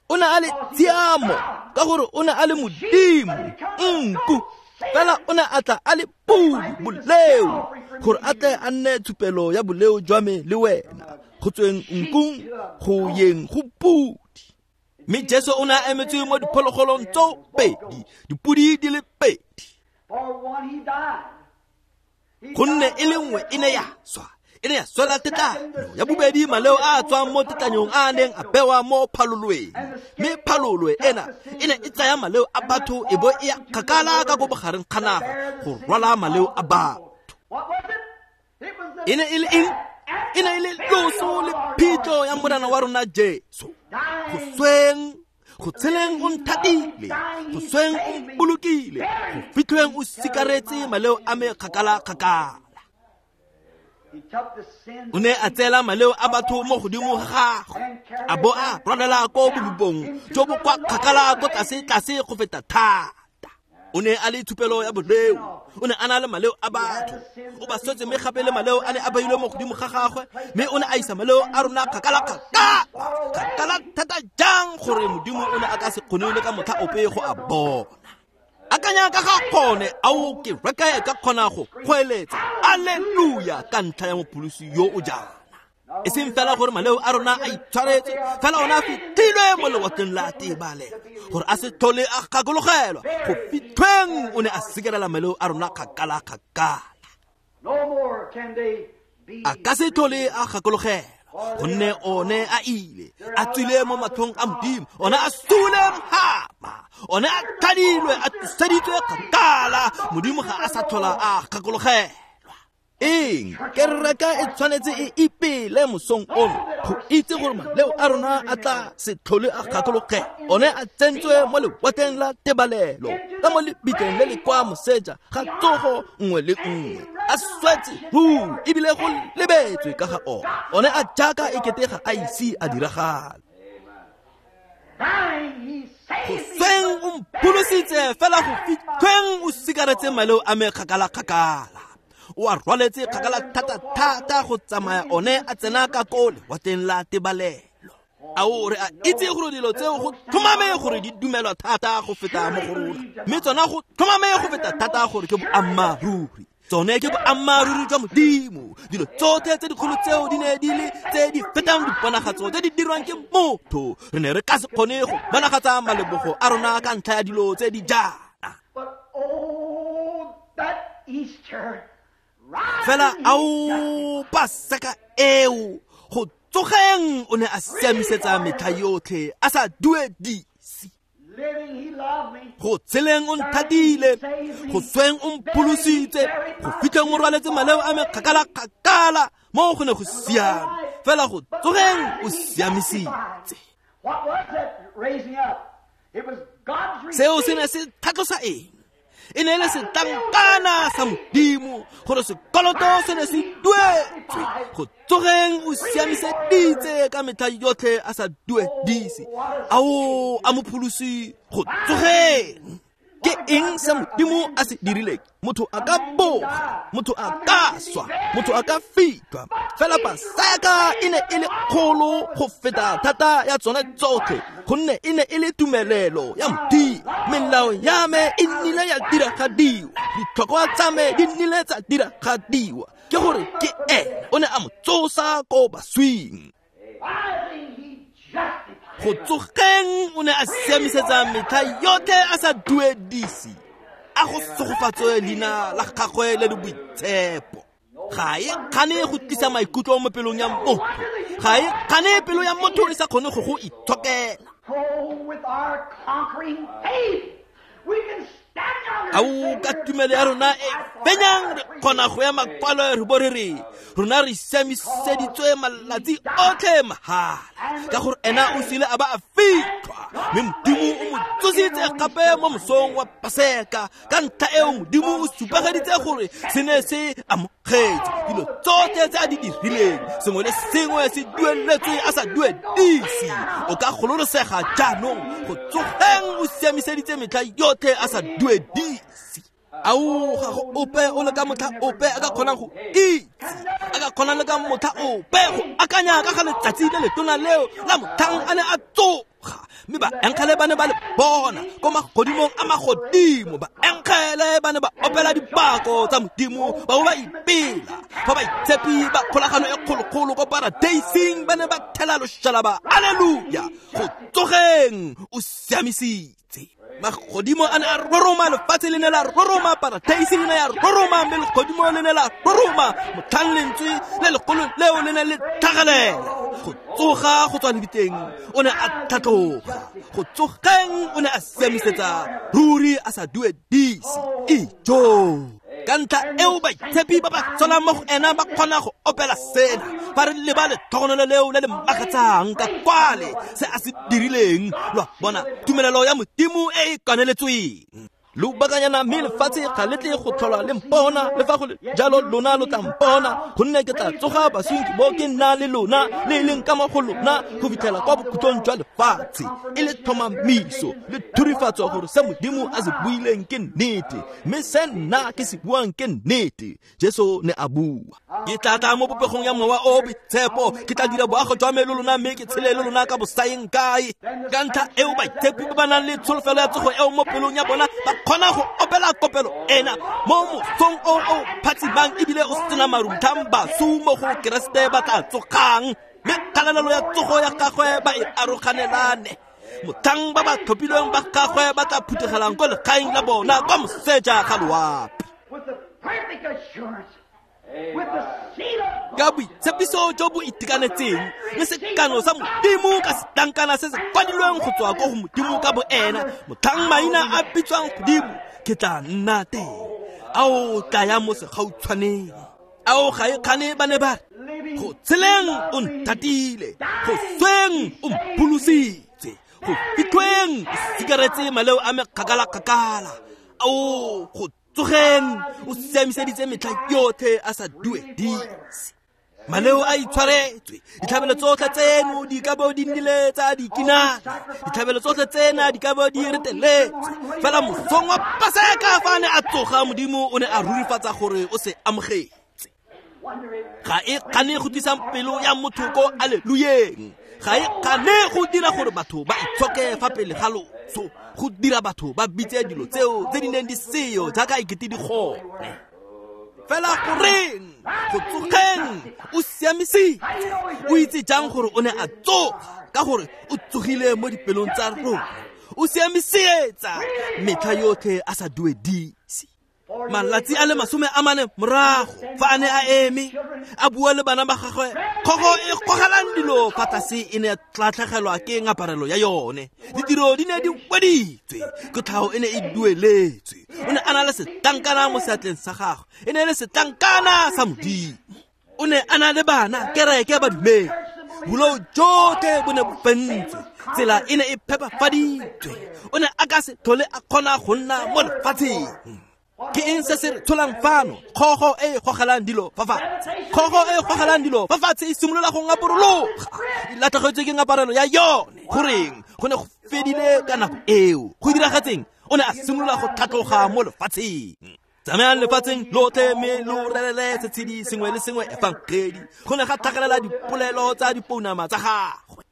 O ne a le tshiamo ka gore o ne a le Modimo, nku, fela o ne a tla a le podi, boleo, gore a tle a nne tshupelo ya boleo jwa me le wena, go tsweng nkung go yeng go podi. Mme Jesu o ne a emetswe mo diphologolong tso pedi, dipodi di le pedi, gonne e le nngwe e ne ya swa, e ne ya swela tetlanyo ya bobedi maleo a a tswang mo tetlanyong a a neng a bewa mo phalolweng. Mme phalolwe ena e ne e tsaya maleo a batho e bo e ya kgakala ka ko bogareng ga naga go rwala maleo a batho. E ne e le eng? E ne e le loso le phitlho ya Morena wa rona Jesu. Go sweng, go tsheleng o nthatile, go sweng o mpolokile, go fitlhweng o sikaretse maleo a me kgakala-kgakala. O ne a tseela maleo a batho mo godimo ga gagwe, a bo a rwalela ko bolupong jo bo kwa kgakala ko tlase-tlase go feta thata. O ne a le tshupelo ya boleo, o ne a na le maleo a batho, o ba swetse mme gape le maleo a ne a beilwe mo godimo ga gagwe, mme o ne a isa maleo a rona kgakala-kgakala, kgakala thata jang gore Modimo o ne a ka se kgone le ka motlha ope go a bona. Akanya ka ga gone, ao ke reka e ka kgona go goeletsa alleluia ka ntlha ya mopholosi yo o jaana. E seng fela gore maleo a rona a itshwaretswe, fela ona a fitlhilwe mo lewatleng la tebalelo, gore a se tlhole a gakologelwa. Go fitlhweng o ne a sikarela maleo a rona kgakala-kgakala. A ka se tlhole a gakologelwa, gonne one a ile, a tswile mo matlhong a Modimo, one a sule mhama, one a tlhadilwe, a tloseditswe kgakala. Modimo ga a sa tlhola a gakologelwa. Eng kereka e tshwanetse e ipele mosong ono go itse gore maleo a rona a tla se tlhole a gakologelwa. One a tsentswe mo lewatleng la tebalelo, ka mo lebitleng le le kwa moseja ga tsogo nngwe le nngwe, a swetse ruri ebile go lebetswe ka ga ona. One a jaaka e kete ga a ise a diragala. Go sweng o mpholositse, fela go fitlhweng o sikaretse maleo a me kgakala-kgakala. O a rwaletse kgakala thata-thata go tsamaya one a tsena ka ko lewatleng la tebalelo. Ao re a itse gore dilo tseo go tlhomame gore di dumelwa thata go feta mo go rona, mme tsona go tlhomame go feta thata gore ke boammaaruri. Tsone ke boammaaruri jwa Modimo. Dilo tsotlhe tse dikgolo tseo di ne di le tse di fetang diponagatso tse di dirwang ke motho. Re ne re ka se kgone go bonagatsa malebogo a rona ka ntlha ya dilo tse di jaana. Fela ao Paseka eo, go tsogeng o ne a siamisetsa metlha yotlhe a sa duedise. Go tsheleng o nthatile, go sweng o mpholositse, go fitlheng o rwaletse maleo a me kgakala-kgakala, mo go ne go siame, fela go tsogeng o siamisitse. Seo se ne se tlhatlosa eng? E ne e le setlankana sa Modimo gore sekoloto se ne se duetswe. Go tsogeng o siamiseditse ka metlha yotlhe a sa duedise. Ao a mopholosi go tsogeng. Ke eng se Modimo a se dirileng? Motho a ka boga, motho a ka swa, motho a ka fitlhwa, fela Paseka e ne e le kgolo go feta thata ya tsone tsotlhe, gonne e ne e le tumelelo ya Modimo. Melao ya me e nnile ya diragadiwa, ditlhokwa tsa me di nnile tsa diragadiwa. Ke gore ke ene o ne a mo tsosa ko baswing. Go tsogeng o ne a siamisetsa metlha yotlhe a sa duedise. A go segofatswe leina la gagwe le le boitshepo. Ga e kgane go tlisa maikutlo mo pelong ya motho, ga e kgane pelo ya motho e sa kgone go go itshokela. Ao ka tumelo ya rona e fenyang re kgona go ema kwalo re bo re re rona re siamiseditswe malatsi otlhe mahala, ka gore ena o sile a ba a fitlhwa, mme Modimo o mo tsositse gape mo mosong wa Paseka. Ka ntlha eo Modimo o supageditse gore se ne se amogetse dilo tsotlhe tse a di dirileng, sengwe le sengwe se dueletswe a sa duedise. O ka gololosega jaanong go tsogeng o siamiseditse metlha yotlhe a sa duedise. Ao ga go ope o le ka motlha ope a ka kgonang go itse, a ka kgonang le ka motlha ope go akanya ka ga letsatsi le letona leo la motlhang a ne a tsoga, mme baengele ba ne ba le bona ko magodimong a magodimo. Baengele ba ne ba opela dipako tsa Modimo, ba bo ba ipela. Fa baitshepi ba kgolagano e kgolokgolo ko paradeising ba ne ba thela loshalaba, alleluia. Go tsogeng o siamisitse. Magodimo a ne a roroma, lefatshe le ne la roroma, paradeise le ne ya roroma, mme legodimo le ne la roroma. Motlhang lentswe le legolo leo le ne le tlhagelela. Go tsoga go tswa lebitleng o ne a tlhatloga, go tsogeng o ne a siamisetsa ruri a sa duedise. Ijo. Ka ntlha eo baitshepi ba ba tsholang mo go ena ba kgona go opela sena fa re leba letlhogonolo leo le le makatsang ka kwale se a se dirileng. Lo a bona, tumelelo ya Modimo e e kaneletsweng. Lobakanyana mme lefatshe ga le tle go tlhola le mpona, le fa go le jalo lona lo tla mpona, gonne ke tla tsoga baswing ke bo ke nna le lona, le e leng ka mo go lona go fitlhela kwa bokhutlong jwa lefatshe. E le tlhomamiso le thurifatso gore se Modimo a se buileng ke nnete, mme se nna ke se buang ke nnete. Jesu ne a bua, ke tla tla mo popegong ya Mowa o o Boitshepo, ke tla dira boago jwa me le lona, mme ke tshele le lona ka bosaeng kae. Ka ntlha eo baitshepi ba ba nang le tsholofelo ya tsogo eo mo pelong ya bona ba kgona go opela kopelo ena mo mosong o o phatsimang ebile o sena marumthang basu mo go Keresete ba tla tsogang, mme kgalalelo ya tsogo ya gagwe ba e aroganelane. Mothang ba ba tlhophilweng ba gagwe ba tla phuthegelang ko legaeng la bona kwa moseja ga loapi. Ka boitshepiso jo bo itekanetseng le sekano sa Modimo ka setlankana se se kwadilweng go tswa ko go Modimo ka bo ena, motlhang maina a bitswang godimo, ke tla nna teng. Ao tla ya mo segautshwaneng. Ao ga e kgane ba ne ba re, go tsheleng o nthatile, go sweng o mpholositse, go fitlhweng o sikaretse maleo a me kgakala-kgakala, ao go tsogeng o siamiseditse metlha yotlhe a sa duedise. Maleo a itshwaretswe, ditlhabelo tsotlhe tseno di ka bo di nnile tsa dikinana, ditlhabelo tsotlhe tsena di ka bo di reteletswe. Fela mosong wa Paseka fa a ne a tsoga, Modimo o ne a rurifatsa gore o se amogetse. Ga e kgane go tlisa pelo ya motho ko aleluyeng, ga e kgane go dira gore batho ba itshoke fa pele ga loso, go dira batho ba bitse dilo tseo tse di neng di seyo jaaka ekete di gone. Fela goreng go tsogeng o siamisitse? O itse jang gore o ne a tsoga? Ka gore o tsogile mo dipelong tsa rona. O siamisetsa metlha yotlhe a sa duedise. Malatsi a le masome a mane morago, fa a ne a eme a bua le bana ba gagwe, kgogo e gogelang dilo fa tlase e ne ya tlatlhegelwa ke ngaparelo ya yone. Ditiro di ne di weditswe, kotlhao e ne e dueletswe. O ne a na le setlankana mo seatleng sa gagwe, e ne e le setlankana sa Modimo. O ne a na le bana, kereke badumedi. Bolou jotlhe bo ne bo fentswe, tsela e ne e phepafaditswe. O ne a ka se tlhole a kgona go nna mo lefatsheng. Ke eng se se re tsholang fano? Kgogo e e gogelang dilo fa fatshe. Kgogo e e gogelang dilo fa fatshe e simolola go ngaporologa, e latlhegetswe ke ngaparelo ya yone. Goreng? Go ne go fedile ka nako eo. Go diragetseng? O ne a simolola go tlhatloga mo lefatsheng. Tsamayang lefatsheng lotlhe mme lo rerele setshedi sengwe le sengwe efangedi. Go ne ga tlhagelela dipolelo tsa dipounama tsa gagwe.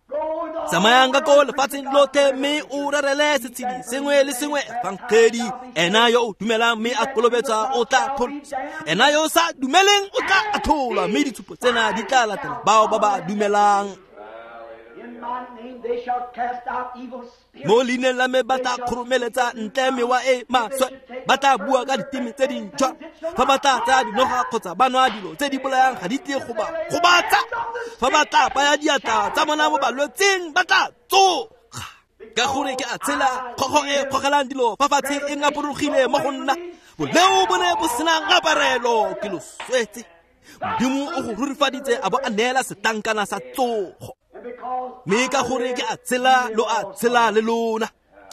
Tsamayang ka ko lefatsheng lotlhe mme o rerele setshedi sengwe le sengwe efangedi. Ena yo o dumelang mme a kolobetswa o tla pholoswa, ena yo o sa dumeleng o tla atholwa, mme ditshupo tsena di tla latela bao ba ba dumelang. Mo leineng la me ba tla kgoromeletsa ntle mewa e maswe, ba tla bua ka diteme tse dintšhwa. Fa ba tla tsaya dinoga kgotsa ba nwa dilo tse di bolayang ga di tle go ba gobatsa. Fa ba tla baya diatla tsa bona mo balwetseng ba tla tsoga. Ka gore ke a tshela, kgogo e gogelang dilo fa fatshe e ngaporogile mo go nna. Boleo bo ne bo sena ngaparelo, ke lo swetse. Modimo o go rurifaditse a bo a neela setlankana sa tsogo. Mme ka gore ke a tshela, lo a tshela le lona.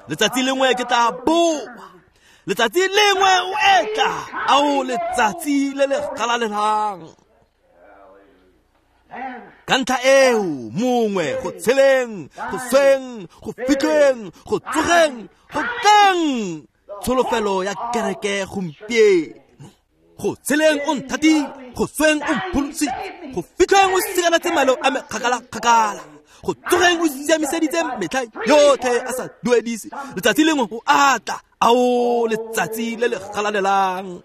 Letsatsi lengwe ke tla boa, letsatsi lengwe o etla, ao letsatsi le le galalelang. Ka ntlha eo mongwe go tsheleng, go sweng, go fitlheng, go tsogeng, go tleng, tsholofelo ya kereke gompieno. Go tsheleng o nthatile, go sweng o mpholositse, go fitlheng o sikanetse maleo a me kgakala-kgakala, go tsogeng o siamiseditse metlha yotlhe a sa duedise. Letsatsi lengwe o atla, ao letsatsi le le galalelang.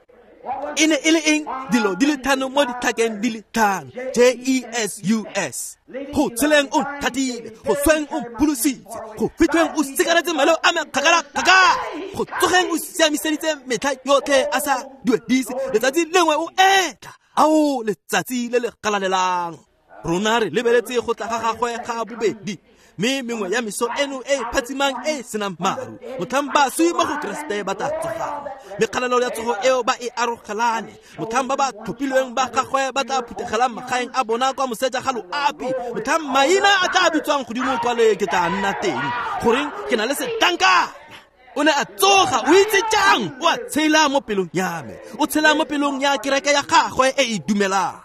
E ne e le eng? Dilo di le tlhano mo ditlhakeng di le tlhano. J E S U S. Go tsheleng o nthatile, go sweng o mpholositse, go fitlheng o sikaretse maleo a me kgakala-kgakala, go tsogeng o siamiseditse metlha yotlhe a sa duedise. Letsatsi lengwe o etla, ao letsatsi le le galalelang. Rona re lebeletse go tla ga gagwe ga bobedi. Mme mengwe ya meso eno e phatsimang e senang maru, motlhang baswi mo go Keresete ba tla tsogang. Mme kgalalelo ya tsogo eo ba e arogelane, motlhang ba ba tlhophilweng ba gagwe ba tla phuthegelang magaeng a bona kwa moseja ga loapi, motlhang maina a tla bitswang godimo kwale ke tla nna teng. Goreng ke na le setlankana? O ne a tsoga, o itse jang? O a tshela mo pelong ya me, o tshela mo pelong ya kereke ya gagwe e e dumelang.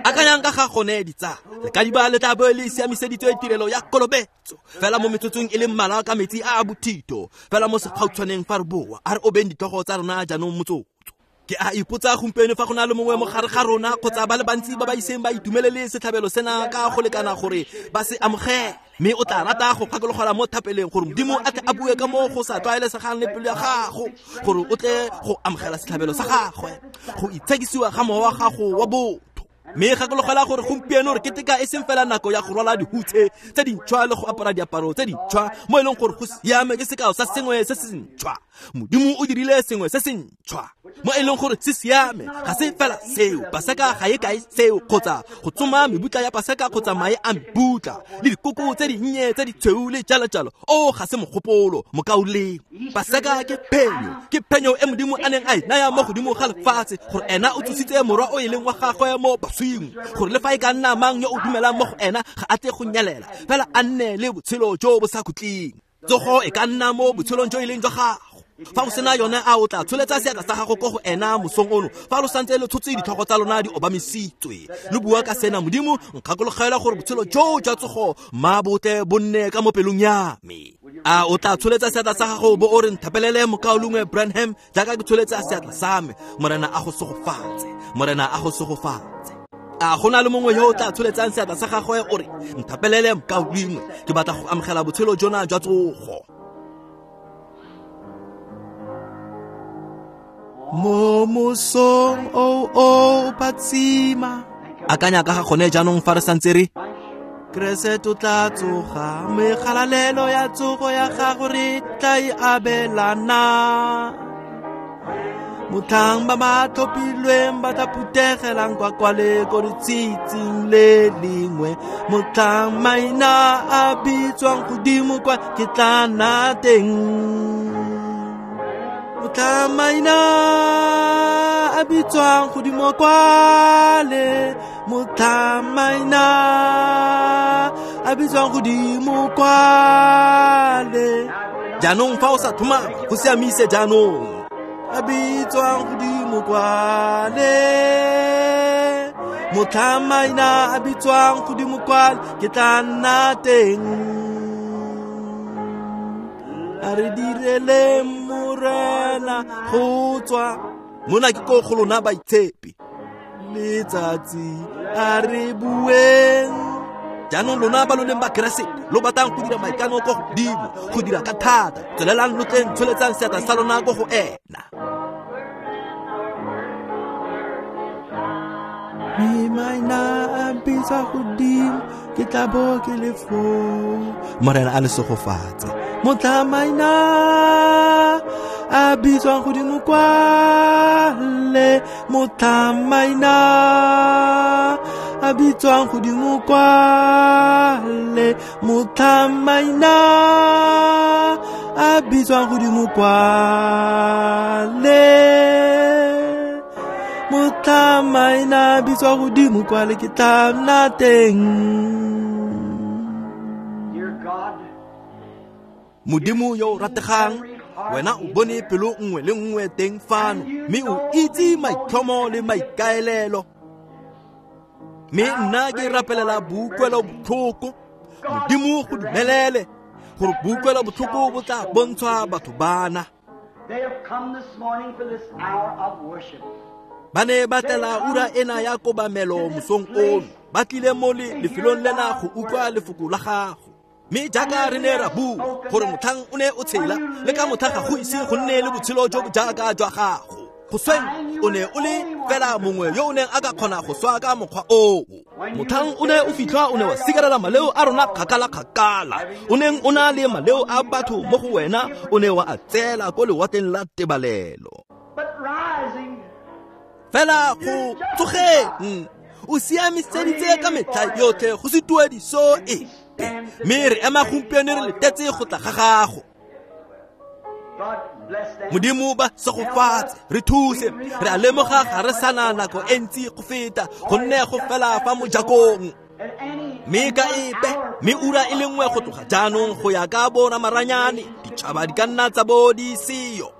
Akanyang ka ga gone ditsala, lekadiba le tla bo le siamiseditswe tirelo ya kolobetso fela mo metsotsong e le mmalwa ka metsi a a bothito, fela mo segautshwaneng fa re boa. A re obeng ditlhogo tsa rona jaanong motsotso. Ke a ipotsa gompieno fa go na le mongwe mo gare ga rona kgotsa ba le bantsi ba ba iseng ba itumelele setlhabelo sena ka go lekana gore ba se amogele, mme o tla rata go gakologelwa mo thapeleng gore Modimo a tle a bue ka mo go sa tlwaelesegang le pelo ya gago, gore o tle go amogela setlhabelo sa gagwe, go itshekisiwa ga mowa wa gago wa botho. Mme gakologelwa gore gompieno re keteka e seng fela nako ya go rwala dihutshe tse dintšhwa le go apara diaparo tse dintšhwa, mo e leng gore go siame ke sekao sa sengwe se se ntšhwa. Modimo o dirile sengwe se se ntšhwa mo e leng gore se siame. Ga se fela seo, Paseka ga e kae seo, kgotsa go tsoma mebutla ya Paseka kgotsa mae a mebutla le dikoko tse dinnye tse ditshweu le jalo-jalo. O ga se mogopolo, mokaulengwe. Paseka ke phenyo, ke phenyo e Modimo a neng a e naya mo godimo ga lefatshe, gore ena o tsositse morwa o e leng wa gagwe mo baswing, gore le fa e ka nna mang yo o dumelang mo go ena ga a tle go nyelela, fela a nne le botshelo jo bo sa khutleng. Tsogo e ka nna mo botshelong jo e leng jwa gago. Fa o sena yone, a o tla tsholetsa seatla sa gago ko go ena mosong ono, fa lo santse lo tshotse ditlhogo tsa lona di obamisitswe, lo bua ka sena: Modimo, nkgakologelwa gore botshelo jo jwa tsogo mma botle bo nne ka mo pelong ya me. A o tla tsholetsa seatla sa gago bo o re nthapelele mokaulengwe Branham jaaka ke tsholetsa seatla sa me? Morena a go segofatse, Morena a go segofatse. A go na le mongwe yo o tla tsholetsang seatla sa gagwe o re nthapelele mokaulengwe, ke batla go amogela botshelo jona jwa tsogo? Mo mosong o o phatsima. Akanya ka ga gone jaanong fa re santse re Keresete o tla tsoga, mme kgalalelo ya tsogo ya gago re tla e abelana. Motlhang ba ba tlhophilweng ba tla phuthegelang kwa kwale ko letshitsing le lengwe, motlhang maina a bitswang godimo kwa ke tla nna teng. Motlhang maina a bitswang godimo kwale, motlhang maina a bitswang godimo kwale. Jaanong fa o sa thomama, go siamise jaanong. A bitswang godimo kwale, motlhang maina a bitswang godimo kwale ke tla nna teng. A re direle Morena go tswa mona ke ko go lona baitshepi letsatsi, a re bueng. Jaanong lona ba lo leng ba Keresete, lo batlang go dira maikano ko godimo, go dira ka thata, tswelelang lo tleng tsholetsang seatla sa lona ko go ena. Mme maina a bitswa godimo, ke tla bo ke le foo. Morena a le segofatse. Motlhang maina a bitswang godimo kwale, motlhang maina a bitswang godimo kwale, motlhang maina a bitswang godimo kwale, motlhang maina a bitswang godimo kwale ke tla nna teng. Modimo yo o rategang, wena o bone pelo nngwe le nngwe teng fano, mme o itse maitlhomo le maikaelelo. Mme nna ke rapelela boutlwelo botlhoko. Modimo go dumelele gore boutlwelo botlhoko bo tla bontshwa batho bana. Ba ne ba tlela ura ena ya kobamelo mosong ono, ba tlile mo lefelong lena go utlwa lefoko la gago. Mme jaaka re ne ra bua gore motlhang o ne o tshela, le ka motlha ga go ise go nne le botshelo jo bo jaaka jwa gago. Go sweng o ne o le fela mongwe yo o neng a ka kgona go swa ka mokgwa oo. Motlhang o ne o fitlhwa, o ne wa sikarela maleo a rona kgakala-kgakala. O neng o na le maleo a batho mo go wena, o ne wa a tseela ko lewatleng la tebalelo. Fela go tsogeng, o siamiseditse ka metlha yotlhe go se tuediso e. Mme re ema gompieno re letetse go tla ga gago. Modimo ba segofatse, re thuse, re a lemoga ga re sana nako e ntsi go feta, gonne go fela fa mojakong. Mme ka epe, mme ura e le nngwe go tloga jaanong go ya ka bo ramaranyane, ditšhaba di ka nna tsa bo di seyo.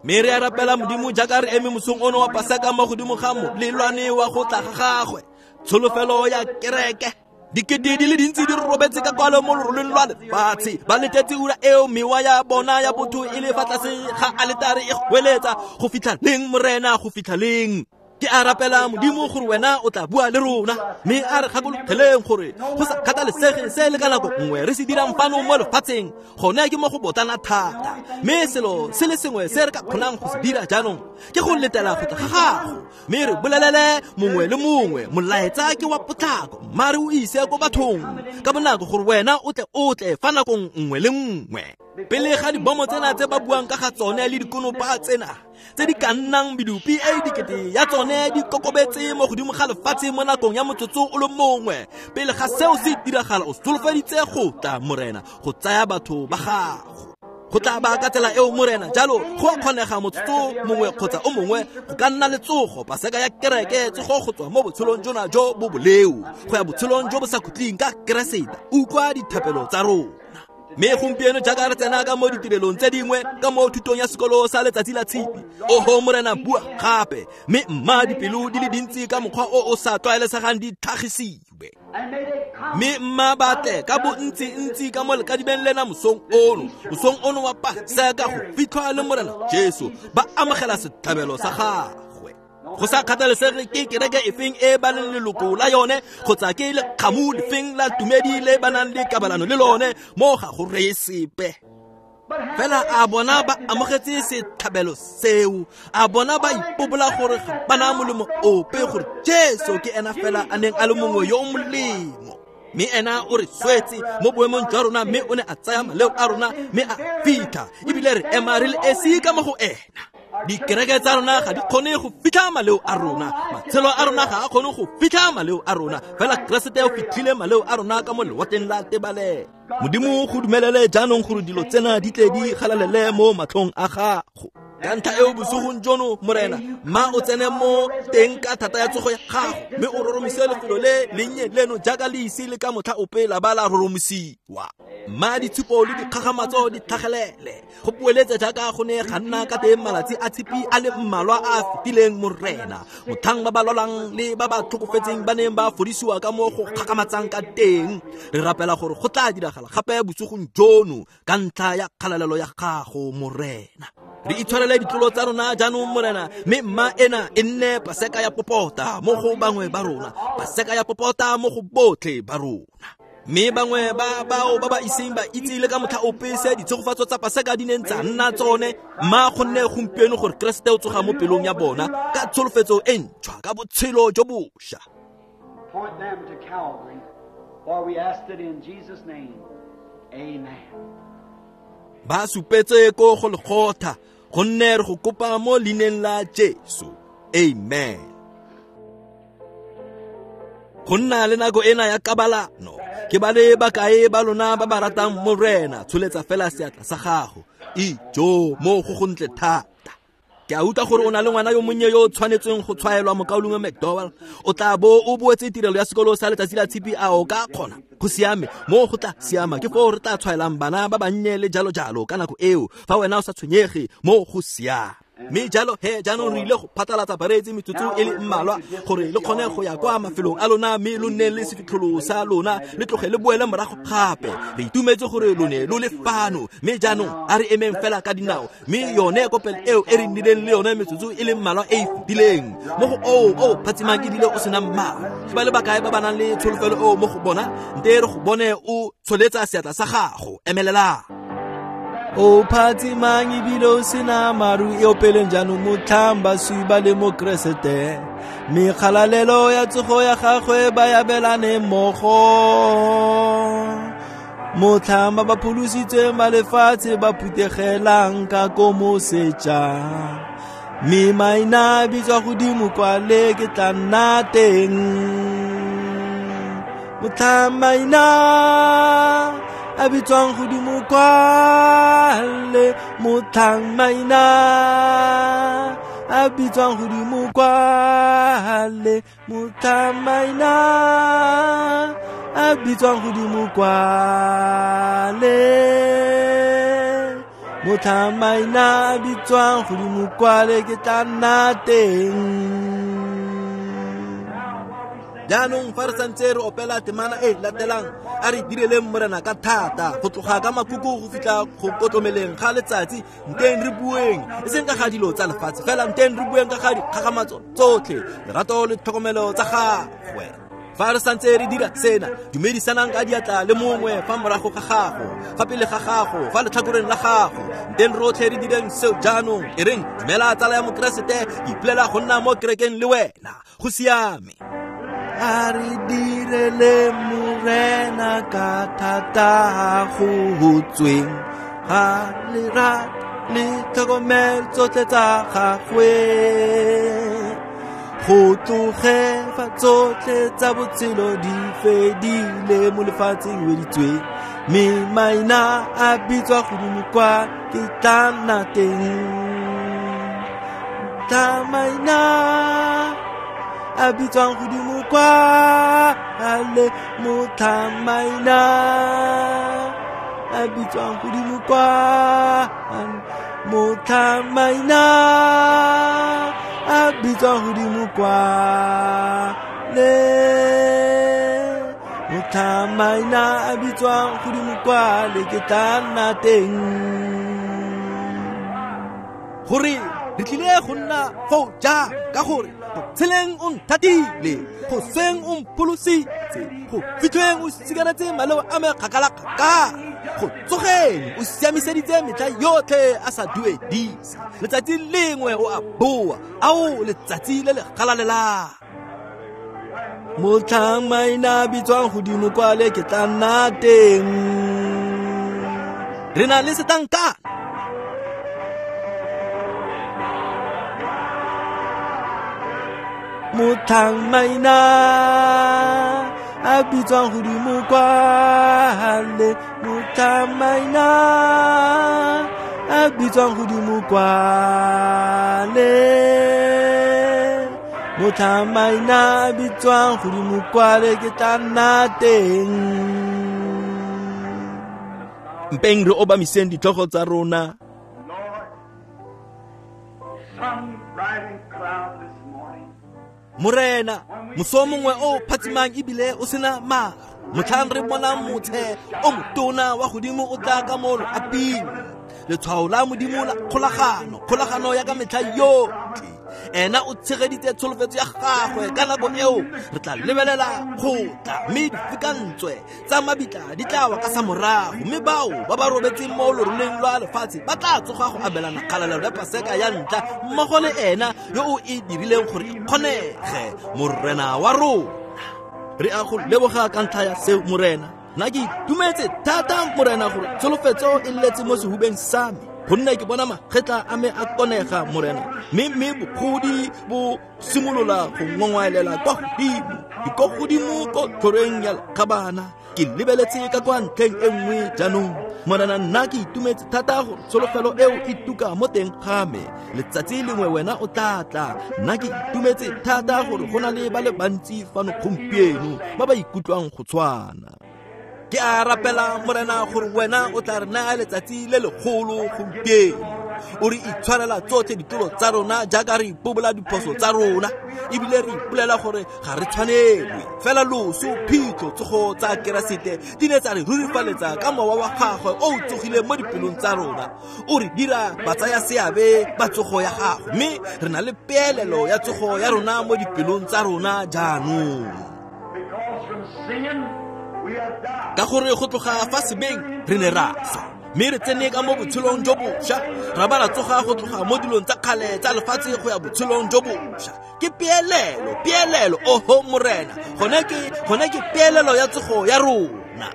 Mme re a rapela Modimo jaaka re eme mosong ono wa Paseka mo godimo ga molelwane wa go tla ga gagwe, tsholofelo ya kereke. Dikete di le dintsi di robetse ka kwalo mo loroleng lwa lefatshe, ba letetse ura eo mewa ya bona ya botho e le fa tlase ga aletare e goeletsa, go fitlha leng Morena, go fitlha leng? Ke a rapela Modimo gore wena o tla bua le rona, mme a re gakologeleng gore go sa kgathalesege se le ka nako nngwe re se dirang fano mo lefatsheng, gone ke mo go botlana thata. Mme selo se le sengwe se re ka kgonang go se dira jaanong ke go letela go tla ga gago, mme re bolelele mongwe le mongwe molaetsa ke wa potlako, mare o ise ko bathong ka bonako gore wena o tle o tle fa nakong nngwe le nngwe. Pele ga dibomo tsena tse ba buang ka ga tsone le dikonopa tsena tse di ka nnang medupi e dikete ya tsone di kokobetse mo godimo ga lefatshe mo nakong ya motsotso o le mongwe, pele ga seo se diragala o solofeditse go tla Morena go tsaya batho ba gago. Go tla ba ka tsela eo Morena, jalo go a kgonega motsotso mongwe kgotsa o mongwe go ka nna le tsogo, Paseka ya kereke, tsogo go tswa mo botshelong jona jo bo boleo go ya botshelong jo bo sa khutleng ka Keresete. Utlwa dithapelo tsa rona. Mme gompieno jaaka re tsena ka mo ditirelong tse dingwe ka mo thutong ya sekolo sa letsatsi la tshipi, oho Morena bua gape, mme mma dipelo di le dintsi ka mokgwa o o sa tlwaelesegang di tlhagisiwe. Mme mma ba tle ka bontsi-ntsi ka mo lekadibeng lena mosong ono, mosong ono wa Paseka go fitlhwa le Morena Jesu, ba amogela setlhabelo sa gagwe. Go sa kgathalesege ke kereke efeng e ba leng leloko la yone, kgotsa ke lekgamu lefeng la tumedi le ba nang le kabalano le lone, mo ga go reye sepe. Fela a bona ba amogetse setlhabelo seo, a bona ba ipobola gore ga ba na molemo ope, gore Jesu ke ena fela a neng a le mongwe yo o molemo. Mme ena o re swetse mo boemong jwa rona, mme o ne a tsaya maleo a rona mme a fitlha, ebile re ema re le esi ka mo go ena. Dikereke tsa rona ga di kgone go fitlha maleo a rona, matshelo a rona ga a kgone go fitlha maleo a rona, fela Keresete o fitlhile maleo a rona ka mo lewatleng la tebalelo. Modimo go dumelele jaanong gore dilo tsena di tle di galalele mo matlhong a gago. Ka ntlha eo bosigong jono Morena, mma o tsene mo teng ka thata ya tsogo ya gago, mme o roromise lefelo le lennye leno jaaka le ise le ka motlha ope la ba la roromisiwa. Mma ditshupo le dikgagamatso di tlhagelele, go poeletse jaaka go ne ga nna ka teng malatsi a tshipi a le mmalwa a a fetileng Morena, motlhang ba ba lwalang le ba ba tlhokofetseng ba neng ba fodisiwa ka mo go kgakgamatsang ka teng. Re rapela gore go tla diragala gape bosigong jono ka ntlha ya kgalalelo ya gago Morena. Re itshwarele ditlolo tsa rona jaanong Morena, mme mma ena e nne Paseka ya popota mo go bangwe ba rona, Paseka ya popota mo go botlhe ba rona. Mme bangwe ba bao ba ba iseng ba itse le ka motlha ope se ditshegofatso tsa Paseka di neng tsa nna tsone, mma gonne gompieno gore Keresete o tsoga mo pelong ya bona ka tsholofetso e ntšhwa, ka botshelo jo bošwa. Point them to Calvary, for we asked it in Jesus' name. Amen. Ba supetse ko go Golgotha, gonne re go kopa mo leineng la Jesu. Amen. Go nna le nako ena ya kabalano, ke ba le bakae ba lona ba ba ratang Morena, tsholetsa fela seatla sa gago. Ijo mo go gontle thata. Ke a utlwa gore o na le ngwana yo monnye yo o tshwanetseng go tshwaelwa mokaulengwe McDowell. O tla bo o boetse tirelo ya sekolo sa letsatsi la tshipi, a o ka kgona? Go siame, mo go tla siama ke foo re tla tshwaelang bana ba bannye le jalo jalo ka nako eo, fa wena o sa tshwenyege, mo go siame. Mme jalo he jaanong re ile go phatlalatsa bareetsi metsotso e le mmalwa gore le kgone go ya kwa mafelong a lona, mme lo nne le sefitlholo sa lona, le tloge le boele morago gape. Re itumetse gore lo ne lo le fano, mme jaanong a re emeng fela ka dinao, mme yone kopelo eo e re nnileng le yone metsotso e le mmalwa e e fetileng mo go oo o phatsimang ke dile o senang maru. Ke ba le bakae ba ba nang le tsholofelo eo mo go bona? Nte re go bone o tsholetsa seatla sa gago, emelelang. O phatsimang ebile o sena maru, e opeleng jaanong motlhang baswi ba le mo Keresete, mme kgalalelo ya tsogo ya gagwe ba abelane mmogo. Motlhang ba ba pholositsweng ba lefatshe ba phutegelang ka ko moseja, mme maina a bitswa godimo kwa le ke tla nna teng. Motlhang maina a bitswang godimo kwale, motlhang maina a bitswang godimo kwale, motlhang maina a bitswang godimo kwale, motlhang maina a bitswang godimo kwale, ke tla nna teng. Jaanong fa re santse re opela temana e latelang, a re direleng Morena ka thata go tloga ka makuku go fitlha go kotlomeleng ga letsatsi. Nteng re bueng e seng ka ga dilo tsa lefatshe fela, nteng re bueng ka ga dikgakgamatso tsotlhe, lerato le tlhokomelo tsa gagwe. Fa re santse re dira sena, dumedisanang ka diatla le mongwe fa morago ga gago, fa pele ga gago, fa letlhakoreng la gago. Nteng rotlhe re direng seo jaanong. E reng dumela tsala ya Mokeresete, ke ipolela go nna mo kerekeng le wena. Go siame. A re direle Morena ka thata go tsweng ga lerato le tlhokomelo tsotlhe tsa gagwe, go tloge fa tsotlhe tsa botshelo di fedile mo lefatsheng weditsweng, mme maina a bitswa godimo kwa ke tla nna teng. Tla maina a bitswang godimo kwa ale, motlhang maina a bitswang godimo kwa, motlhang maina a bitswang godimo kwa le, motlhang maina a bitswang godimo kwa le, ke tla nna teng. Gore re tlile go nna foo jang, ka gore go tsheleng o nthatile, go sweng o mpholositse, go fitlhweng o sikaretse maleo a me kgakala-kgakala, go tsogeng o siamiseditse metlha yotlhe a sa duedise. Letsatsi lengwe o a boa, ao letsatsi le le galalelang. Motlhang maina a bitswang godimo kwale, ke tla nna teng. Re na le setankana. Motlhang maina a bitswang godimo kwale, motlhang maina a bitswang godimo kwale, motlhang maina a bitswang godimo kwale, ke tla nna teng. Mpeng re obamiseng ditlhogo tsa rona. Morena, moso mongwe o phatsimang ebile o sena maru, motlhang re bonang motshe o motona wa godimo o tla ka mo loaping, letshwao la Modimo la kgolagano, kgolagano ya ka metlha yotlhe. Ena o tshegeditse tsholofetso ya gagwe ka nako eo re tla lebelela go tla, mme difikantswe tsa mabitla di tla wa ka sa morago, mme bao ba ba robetseng mo loroleng lwa lefatshe ba tla tsoga go abelana kgalalelo ya Paseka ya ntlha mmogo le ena yo o e dirileng gore e kgonege, Morena wa rona. Re a go leboga ka ntlha ya seo, Morena. Nna ke itumetse thata, Morena, gore tsholofetso e letse mo sehubeng sa me, gonne ke bona magetla a me a konega, Morena, mme mme bogodi bo simolola go ngongwaelela kwa godimo, ke ko godimo ko tlhoreng ya lekgabana. Ke lebeletse ka kwa ntlheng e nngwe jaanong, Morena. Nna ke itumetse thata gore tsholofelo eo e tuka mo teng ga me. Letsatsi lengwe wena o tla tla. Nna ke itumetse thata gore go na le ba le bantsi fano gompieno ba ba ikutlwang go tshwana. Ke a rapela, Morena, gore wena o tla re naya letsatsi le legolo gompieno. O re itshwarela tsotlhe ditolo tsa rona jaaka re ipobola diphoso tsa rona, ebile re ipolela gore ga re tshwanelwe. Fela loso, phitlho, tsogo tsa Keresete di ne tsa re rurifaletsa ka mowa wa gagwe o o tsogileng mo dipelong tsa rona. O re dira batsaya seabe ba tsogo ya gagwe, mme re na le peelelo ya tsogo ya rona mo dipelong tsa rona jaanong. Ka gore go tloga fa sebeng re ne ra swa, mme re tsene ka mo botshelong jo bošwa, ra ba ra tsoga go tloga mo dilong tsa kgale tsa lefatshe go ya botshelong jo bošwa. Ke peelelo, peelelo, oho Morena, gone ke gone ke peelelo ya tsogo ya rona.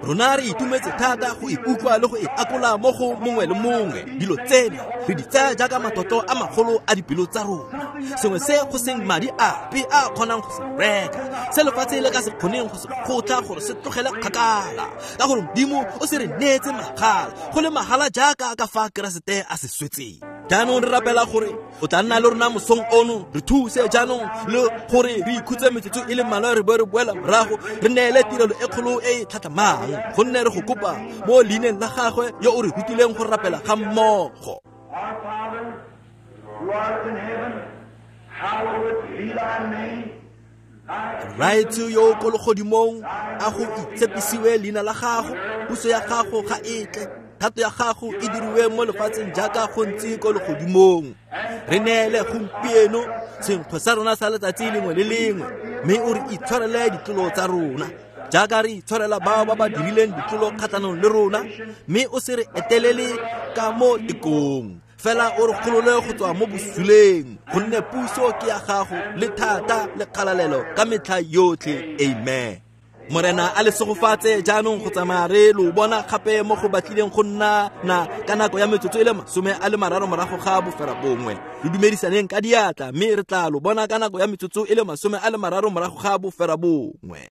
Rona re itumetse thata go ikutlwa le go e akola mo go mongwe le mongwe. Dilo tsena re di tsaya jaaka matlotlo a magolo a dipelo tsa rona, sengwe se go seng madi ape a kgonang go se reka, se lefatshe le ka se kgoneng go se kgotla gore se tlogele kgakala, ka gore Modimo o se re neetse magala, go le magala jaaka ka fa Keresete a se swetseng. Jaanong re rapela gore o tla nna le rona mosong ono, re thuse jaanong le gore re ikhutse metsotso e le mmalwa, re boe re boela morago re neele tirelo e kgolo e e tlhatlhamang, gonne re go kopa mo leineng la gagwe yo o re rutileng go rapela ga mmogo. Our Father, who art in heaven, hallowed be thy name. Rraetsho yo o ko legodimong, a go itshepisiwe leina la gago, puso ya gago ga e tle, thato ya gago e diriwe mo lefatsheng jaaka go ntse ko legodimong. Re neele gompieno senkgwe sa rona sa letsatsi lengwe le lengwe, mme o re itshwarele ditlolo tsa rona jaaka re itshwarela bao ba ba dirileng ditlolo kgatlhanong le rona, mme o se re etelele ka mo tekong, fela o re golole go tswa mo bosuleng, gonne puso ke ya gago le thata le kgalalelo ka metlha yotlhe. Amen. Morena a le segofatse jaanong go tsamaya re lo bona gape mo go batlileng go nna na ka nako ya metsotso e le masome a le mararo morago ga bofera bongwe. Re dumedisaneng ka diatla, mme re tla lo bona ka nako ya metsotso e le masome a le mararo morago ga bofera bongwe.